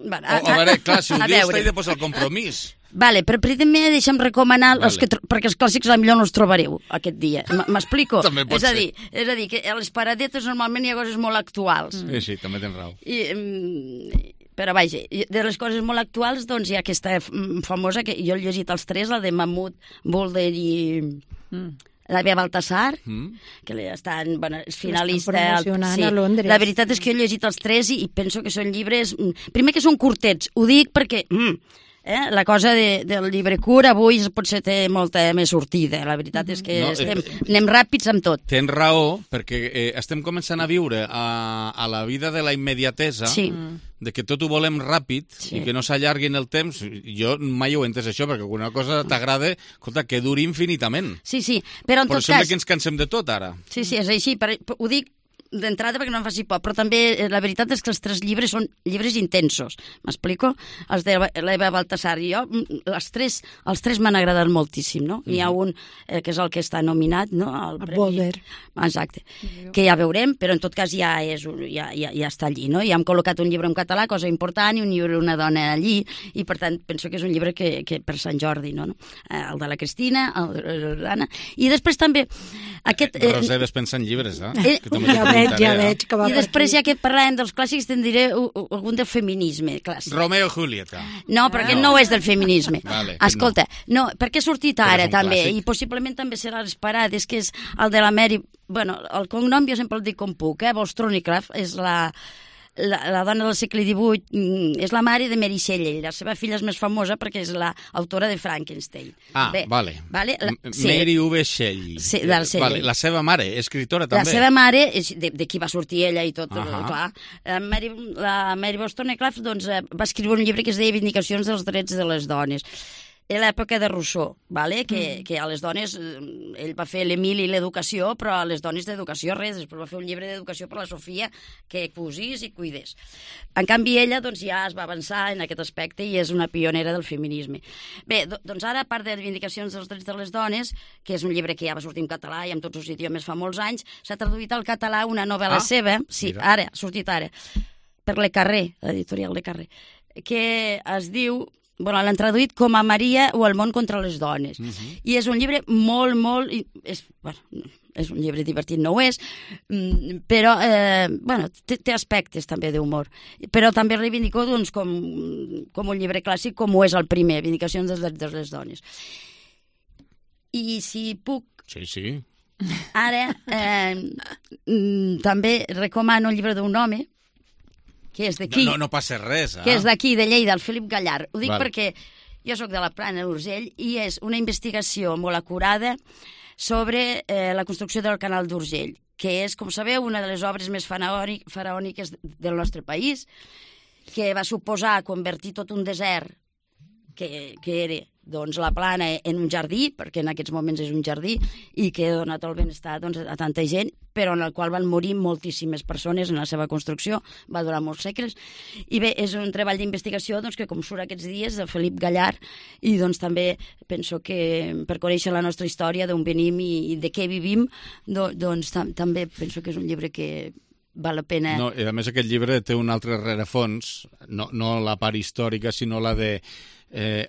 Bueno, a veure, clar, si ho dius, t'he de posar el compromís. Vale, però primer deixa'm recomanar perquè els clàssics potser no els trobareu aquest dia. M'explico? També pot ser. És a dir, que a les paradetes normalment hi ha coses molt actuals. Sí, també tens raó. Però vaja, de les coses molt actuals doncs hi ha aquesta famosa, que jo he llegit els tres, la de Mahmoud Boulder i la Bea Baltasar, que estan, és finalista. Promocionant a Londres. La veritat és que jo he llegit els tres i penso que són llibres... Primer que són curtets, ho dic perquè... La cosa del llibre curt avui potser té molta més sortida. La veritat és que anem ràpids amb tot. Tens raó, perquè estem començant a viure a la vida de la immediatesa, de que tot ho volem ràpid i que no s'allargui en el temps. Jo mai ho he entès això, perquè alguna cosa t'agrada, escolta, que duri infinitament. Sí, però en tot cas... Però sembla que ens cansem de tot, ara. Sí, és així. Ho dic d'entrada perquè no em faci por, però també la veritat és que els tres llibres són llibres intensos, m'explico? Els de l'Eva Baltasar i jo, els tres m'han agradat moltíssim, no? N'hi ha un que és el que està nominat, no? El Boulder. Exacte, que ja veurem, però en tot cas ja està allí, no? Ja hem col·locat un llibre en català, cosa important, i un llibre d'una dona allí, i per tant penso que és un llibre que per Sant Jordi, no? El de la Cristina, el de l'Anna, i després també aquest... Roser despensa en llibres, eh? Ja veig que va. I després, ja que parlàvem dels clàssics, te'n diré algun del feminisme clàssic. Romeo i Julieta. No, perquè no és del feminisme. Vale, escolta, no, perquè ha sortit ara també, clàssic. I possiblement també serà l'esperat, és que és el de la Mary... Bueno, el cognom jo sempre el dic com puc, Wollstonecraft és la dona del segle XVIII, és la mare de Mary Shelley. La seva filla és més famosa perquè és l'autora de Frankenstein. Vale. Mary V. Shelley. Sí, la seva mare, escritora també. La seva mare, de qui va sortir ella i tot, clar. La Mary Wollstonecraft doncs, va escriure un llibre que es deia Vindicacions dels drets de les dones. A l'època de Rousseau, que a les dones, ell va fer l'Emil i l'educació, però a les dones d'educació res, després va fer un llibre d'educació per la Sofia que cosís i cuidés. En canvi, ella doncs, ja es va avançar en aquest aspecte i és una pionera del feminisme. Bé, doncs ara, a part de Vindicacions dels drets de les dones, que és un llibre que ja va sortir en català i en tots els idiomes fa molts anys, s'ha traduït al català una novel·la seva, ha sortit ara, per Le Carré, l'editorial Le Carré, que es diu... l'han traduït com a Maria o el món contra les dones. I és un llibre molt... És un llibre divertit, no ho és, però té aspectes també d'humor. Però també reivindicó com un llibre clàssic, com ho és el primer, Vindicacions dels drets de les dones. I si puc... Sí. Ara també recomano un llibre d'un home que és d'aquí. No passa res, que és d'aquí, de Lleida, el Felip Gallard. Ho dic perquè jo sóc de la Plana d'Urgell i és una investigació molt acurada sobre la construcció del canal d'Urgell, que és, com sabeu, una de les obres més faraòniques del nostre país, que va suposar convertir tot un desert que era la Plana en un jardí, perquè en aquests moments és un jardí, i que ha donat el benestar a tanta gent, però en el qual van morir moltíssimes persones en la seva construcció, va durar molts segles. I bé, és un treball d'investigació que com surt aquests dies, de Felip Gallard, i també penso que per conèixer la nostra història, d'on venim i de què vivim, també penso que és un llibre que val la pena... No, i a més aquest llibre té un altre rerefons, no la part històrica, sinó la de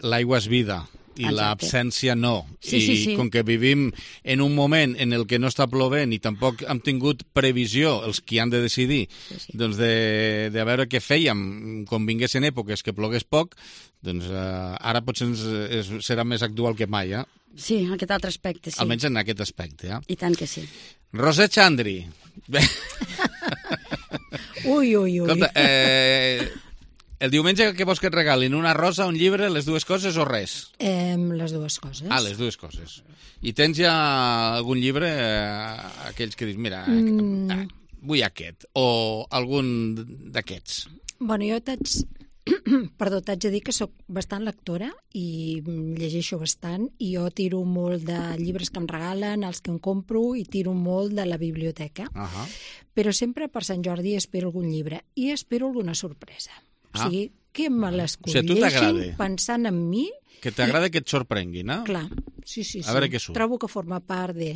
l'aigua és vida i l'absència no. I com que vivim en un moment en el que no està plovent i tampoc hem tingut previsió, els qui han de decidir, doncs de veure què fèiem quan vinguessin èpoques que plogués poc, doncs ara potser serà més actual que mai, eh? Sí, aquest altre aspecte, sí. Almenys en aquest aspecte, eh? I tant que sí. Roser Chandri. Ui. Escolta, el diumenge que vols que et regalin una rosa, un llibre, les dues coses o res? Les dues coses. Les dues coses. I tens ja algun llibre, aquells que dius, mira, vull aquest, o algun d'aquests? Bueno, jo t'haig de dir que sóc bastant lectora i llegeixo bastant, i jo tiro molt de llibres que em regalen, els que em compro, i tiro molt de la biblioteca. Però sempre per Sant Jordi espero algun llibre i espero alguna sorpresa. O sigui, que me l'escolleixin pensant en mi. Que t'agrada que et sorprenguin, eh? Clar, sí. A veure què surt. Trobo que forma part de...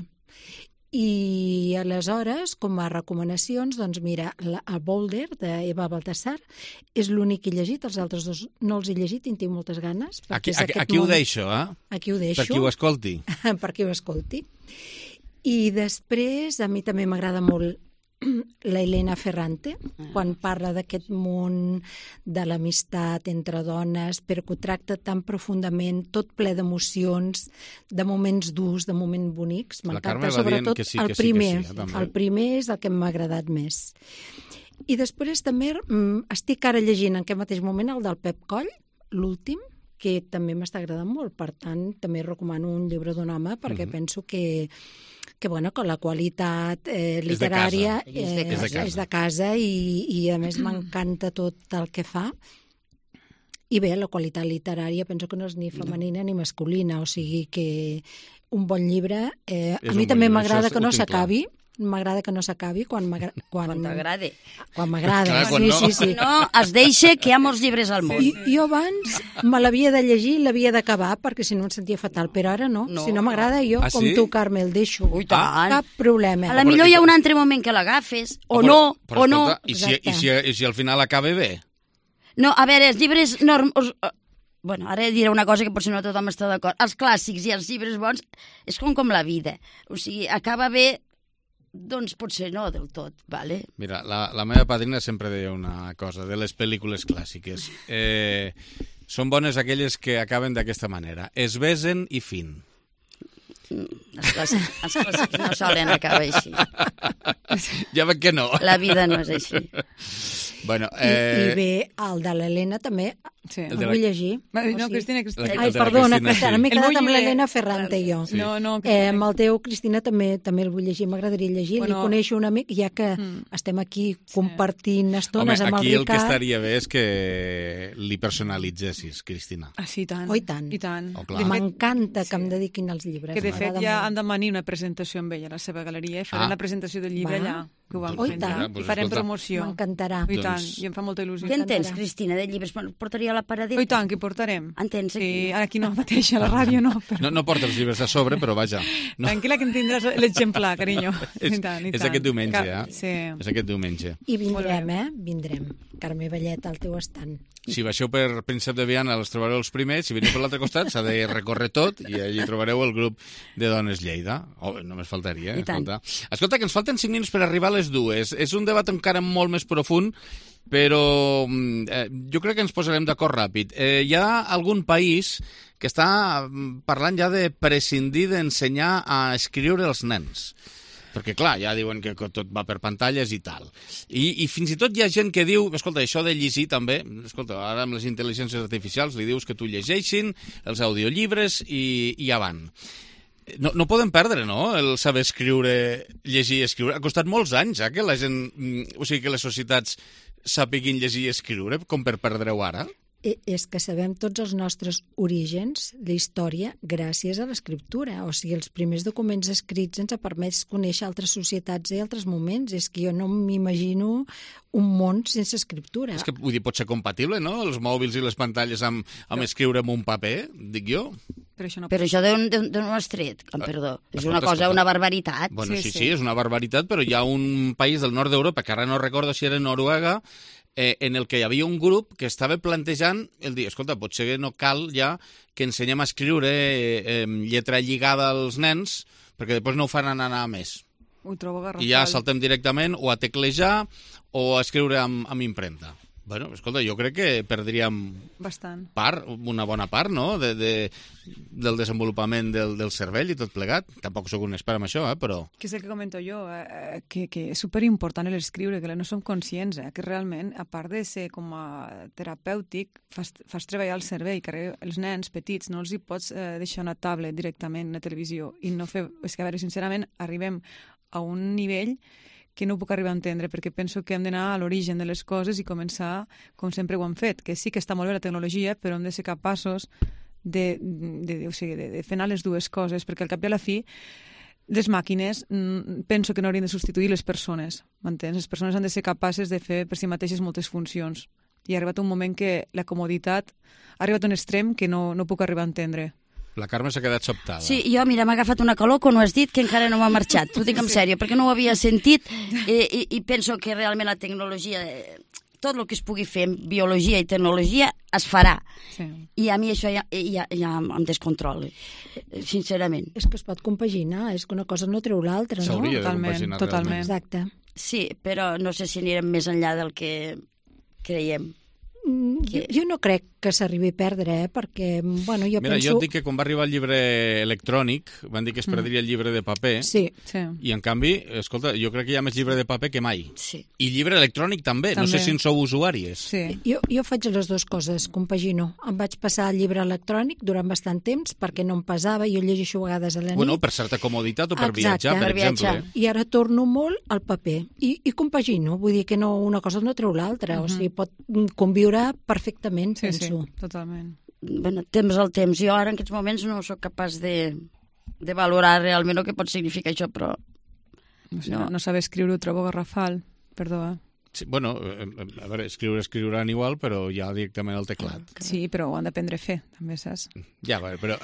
I aleshores, com a recomanacions, doncs mira, el Boulder, d'Eva Baltasar, és l'únic que he llegit, els altres dos no els he llegit i en tinc moltes ganes. Aquí ho deixo, eh? Aquí ho deixo. Per qui ho escolti. Per qui ho escolti. I després, a mi també m'agrada molt la Elena Ferrante, quan parla d'aquest món de l'amistat entre dones, però que ho tracta tan profundament, tot ple d'emocions, de moments durs, de moments bonics. M'encanta, sobretot el primer. El primer és el que m'ha agradat més. I després també estic ara llegint en aquest mateix moment el del Pep Coll, l'últim, que també m'està agradant molt. Per tant, també recomano un llibre d'un home, perquè penso que la qualitat literària és de casa i a més m'encanta tot el que fa. I bé, la qualitat literària penso que no és ni femenina ni masculina, o sigui que un bon llibre... A mi també m'agrada que no s'acabi. M'agrada que no s'acabi quan t'agrada. Quan m'agrada, sí. No, es deixa que hi ha molts llibres al món. Jo abans me l'havia de llegir i l'havia d'acabar perquè si no em sentia fatal, però ara no. Si no m'agrada jo, com tu, Carme, el deixo. Cap problema. A la millor hi ha un altre moment que l'agafes, o no. I si al final acaba bé? No, a veure, els llibres... Bueno, ara diré una cosa que potser no tothom està d'acord. Els clàssics i els llibres bons és com la vida. O sigui, acaba bé, doncs potser no del tot, vale? Mira, la meva padrina sempre deia una cosa, de les pel·lícules clàssiques. Són bones aquelles que acaben d'aquesta manera. Es besen i fin. Els clàssics no solen acabar així. Ja veig que no. La vida no és així. Bueno, I bé, el de l'Helena també el vull llegir. No, Cristina. Ai, perdona, Cristina, m'he quedat amb l'Helena Ferrante jo. No, amb el teu, Cristina, també el vull llegir, m'agradaria llegir. Li coneixo un amic, ja que estem aquí compartint estones amb el Ricard. Aquí el que estaria bé és que li personalitzessis, Cristina. Ah, sí, tant. Oh, i tant. M'encanta que em dediquin als llibres. Que de fet ja han de venir una presentació amb ella a la seva galeria i farem la presentació del llibre allà. Que ho van fent. I farem promoció. M'encantarà. I tant, i em fa molta il·lusió. Què en tens, Cristina, de llibres? Portaria a la paradeta? I tant, que portarem. En tens aquí? Sí, ara aquí no mateix, a la ràdio no. Però... No porta els llibres a sobre, però vaja. No. Tranquil·la que en tindràs l'exemplar, carinyo. És aquest diumenge, Sí. És aquest diumenge. I vindrem, Vindrem. Carme Vallet, al teu estant. Si baixeu per Príncep de Viana els trobareu els primers, si veniu per l'altre costat s'ha de recórrer tot i allí trobareu el grup de Dones Lleida. Només faltaria, Escolta, que ens falten 5 minuts per arribar a les 2. És un debat encara molt més profund, però jo crec que ens posarem d'acord ràpid. Hi ha algun país que està parlant ja de prescindir d'ensenyar a escriure els nens. Perquè, clar, ja diuen que tot va per pantalles i tal. I fins i tot hi ha gent que diu, escolta, això de llegir també, escolta, ara amb les intel·ligències artificials li dius que tu llegeixin els audiollibres i avant. No podem perdre, no?, el saber escriure, llegir i escriure. Ha costat molts anys, que la gent, o sigui, que les societats sàpiguin llegir i escriure, com per perdre-ho ara. És que sabem tots els nostres orígens, la història, gràcies a l'escriptura. O sigui, els primers documents escrits ens ha permès conèixer altres societats i altres moments. És que jo no m'imagino un món sense escriptura. És que, vull dir, pot ser compatible, no?, els mòbils i les pantalles amb escriure en un paper, dic jo. Però això d'on ho has tret? Perdó, és una cosa, una barbaritat. Bueno, sí, és una barbaritat, però hi ha un país del nord d'Europa, que ara no recordo si era Noruega, en el que hi havia un grup que estava plantejant el dir, escolta, potser no cal ja que ensenyem a escriure lletra lligada als nens, perquè després no ho fan anar a més. Ho trobo garrafal. I ja saltem directament o a teclejar o a escriure amb impremta. Bueno, escolta, jo crec que perdríem una bona part, no?, del desenvolupament del cervell i tot plegat. Tampoc sóc un expert en això, però... Que és el que comento jo, que és superimportant l'escriure, que no som conscients, que realment, a part de ser com a terapèutic, fas treballar el cervell, que els nens petits no els hi pots deixar una tablet directament, una televisió, i no fer... És que, a veure, sincerament, arribem a un nivell que no puc arribar a entendre, perquè penso que hem d'anar a l'origen de les coses i començar com sempre ho hem fet, que sí que està molt bé la tecnologia, però hem de ser capaços de fer anar les dues coses, perquè al cap i a la fi les màquines penso que no haurien de substituir les persones, m'entens? Les persones han de ser capaces de fer per si mateixes moltes funcions, i ha arribat un moment que la comoditat ha arribat a un extrem que no puc arribar a entendre. La Carme s'ha quedat sobtada. Sí, jo, mira, m'ha agafat una calor quan ho has dit que encara no m'ha marxat. T'ho dic en sèrio, perquè no ho havia sentit i penso que realment la tecnologia, tot el que es pugui fer en biologia i tecnologia es farà. Sí. I a mi això ja em descontrola, sincerament. És que es pot compaginar, és que una cosa no treu l'altra, no? S'hauria de compaginar totalment. Exacte. Sí, però no sé si anirem més enllà del que creiem. Jo no crec que s'arribi a perdre, perquè, bueno, jo penso... Mira, jo et dic que quan va arribar el llibre electrònic, van dir que es perdria el llibre de paper, i en canvi, escolta, jo crec que hi ha més llibre de paper que mai. Sí. I llibre electrònic també, no sé si en sou usuàries. Sí. Jo faig les dues coses, compagino. Em vaig passar al llibre electrònic durant bastant temps, perquè no em pesava, jo llegeixo a vegades a la nit. Bueno, per certa comoditat o per viatjar, per exemple. I ara torno molt al paper, i compagino, vull dir que no, una cosa no treu l'altra, o sigui, pot conviure perfectament, penso. Sí, totalment. Bueno, temps al temps. Jo ara en aquests moments no sóc capaç de valorar realment el que pot significar això, però... No saber escriure, ho trobo garrafal. Perdó, Sí, bueno, a veure, escriuran igual, però ja directament al teclat. Sí, però ho han d'aprendre a fer, també, saps? Ja, però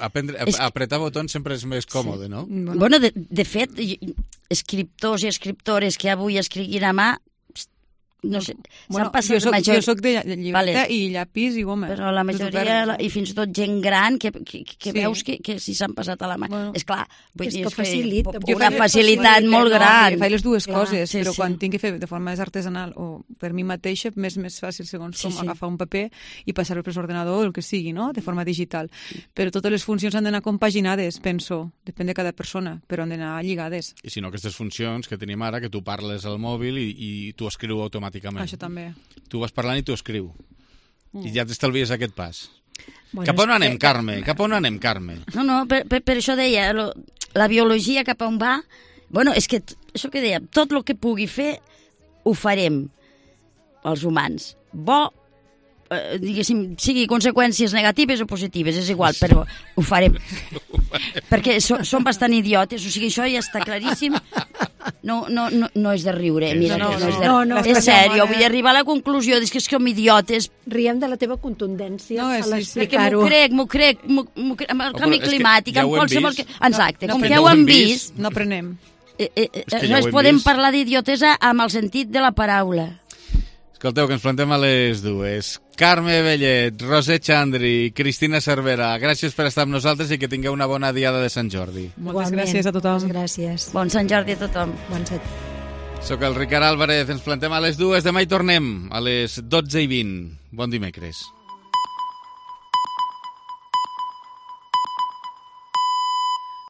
apretar botons sempre és més còmode, no? Bueno, de fet, escriptors i escriptores que avui escriguin a mà, no sé, s'han passat jo soc de llibreta i llapis i goma. Però la majoria, i fins i tot gent gran, que veus que si s'han passat a la mà. Esclar, vull dir, és facilita. Una facilitat molt gran. Faig les dues coses, però quan tinc que fer de forma més artesanal o per mi mateixa, més fàcil, segons com, agafar un paper i passar-ho per l'ordenador o el que sigui, no?, de forma digital. Però totes les funcions han d'anar compaginades, penso, depèn de cada persona, però han d'anar lligades. I si no, aquestes funcions que tenim ara, que tu parles al mòbil i tu escriu automàticament. Això també. Tu vas parlant i tu escriu. I ja t'estalvies aquest pas. Bueno, cap on anem, Carme? Cap on anem, Carme? No, per això deia, la biologia cap on va... Bueno, és que, això que deia, tot el que pugui fer ho farem, els humans. Bo, diguéssim, sigui conseqüències negatives o positives, és igual, però ho farem. Perquè som bastant idiotes, o sigui, això ja està claríssim. No és de riure, mira, no és sèrio, vull arribar a la conclusió que som idiotes. Riem de la teva contundència a l'explicar-ho. M'ho crec, amb el canvi climàtic, amb qualsevol... Exacte, com que ho hem vist... No aprenem. No podem parlar d'idiotesa amb el sentit de la paraula. Escolteu, que ens plantem a les dues. Carme Bellet, Roser Xandri, Cristina Cervera, gràcies per estar amb nosaltres i que tingueu una bona diada de Sant Jordi. Moltes gràcies a tothom. Moltes gràcies. Bon Sant Jordi a tothom. Bon Sant. Soc el Ricard Álvarez, ens plantem a les dues. Demà hi tornem a les 12:20. Bon dimecres.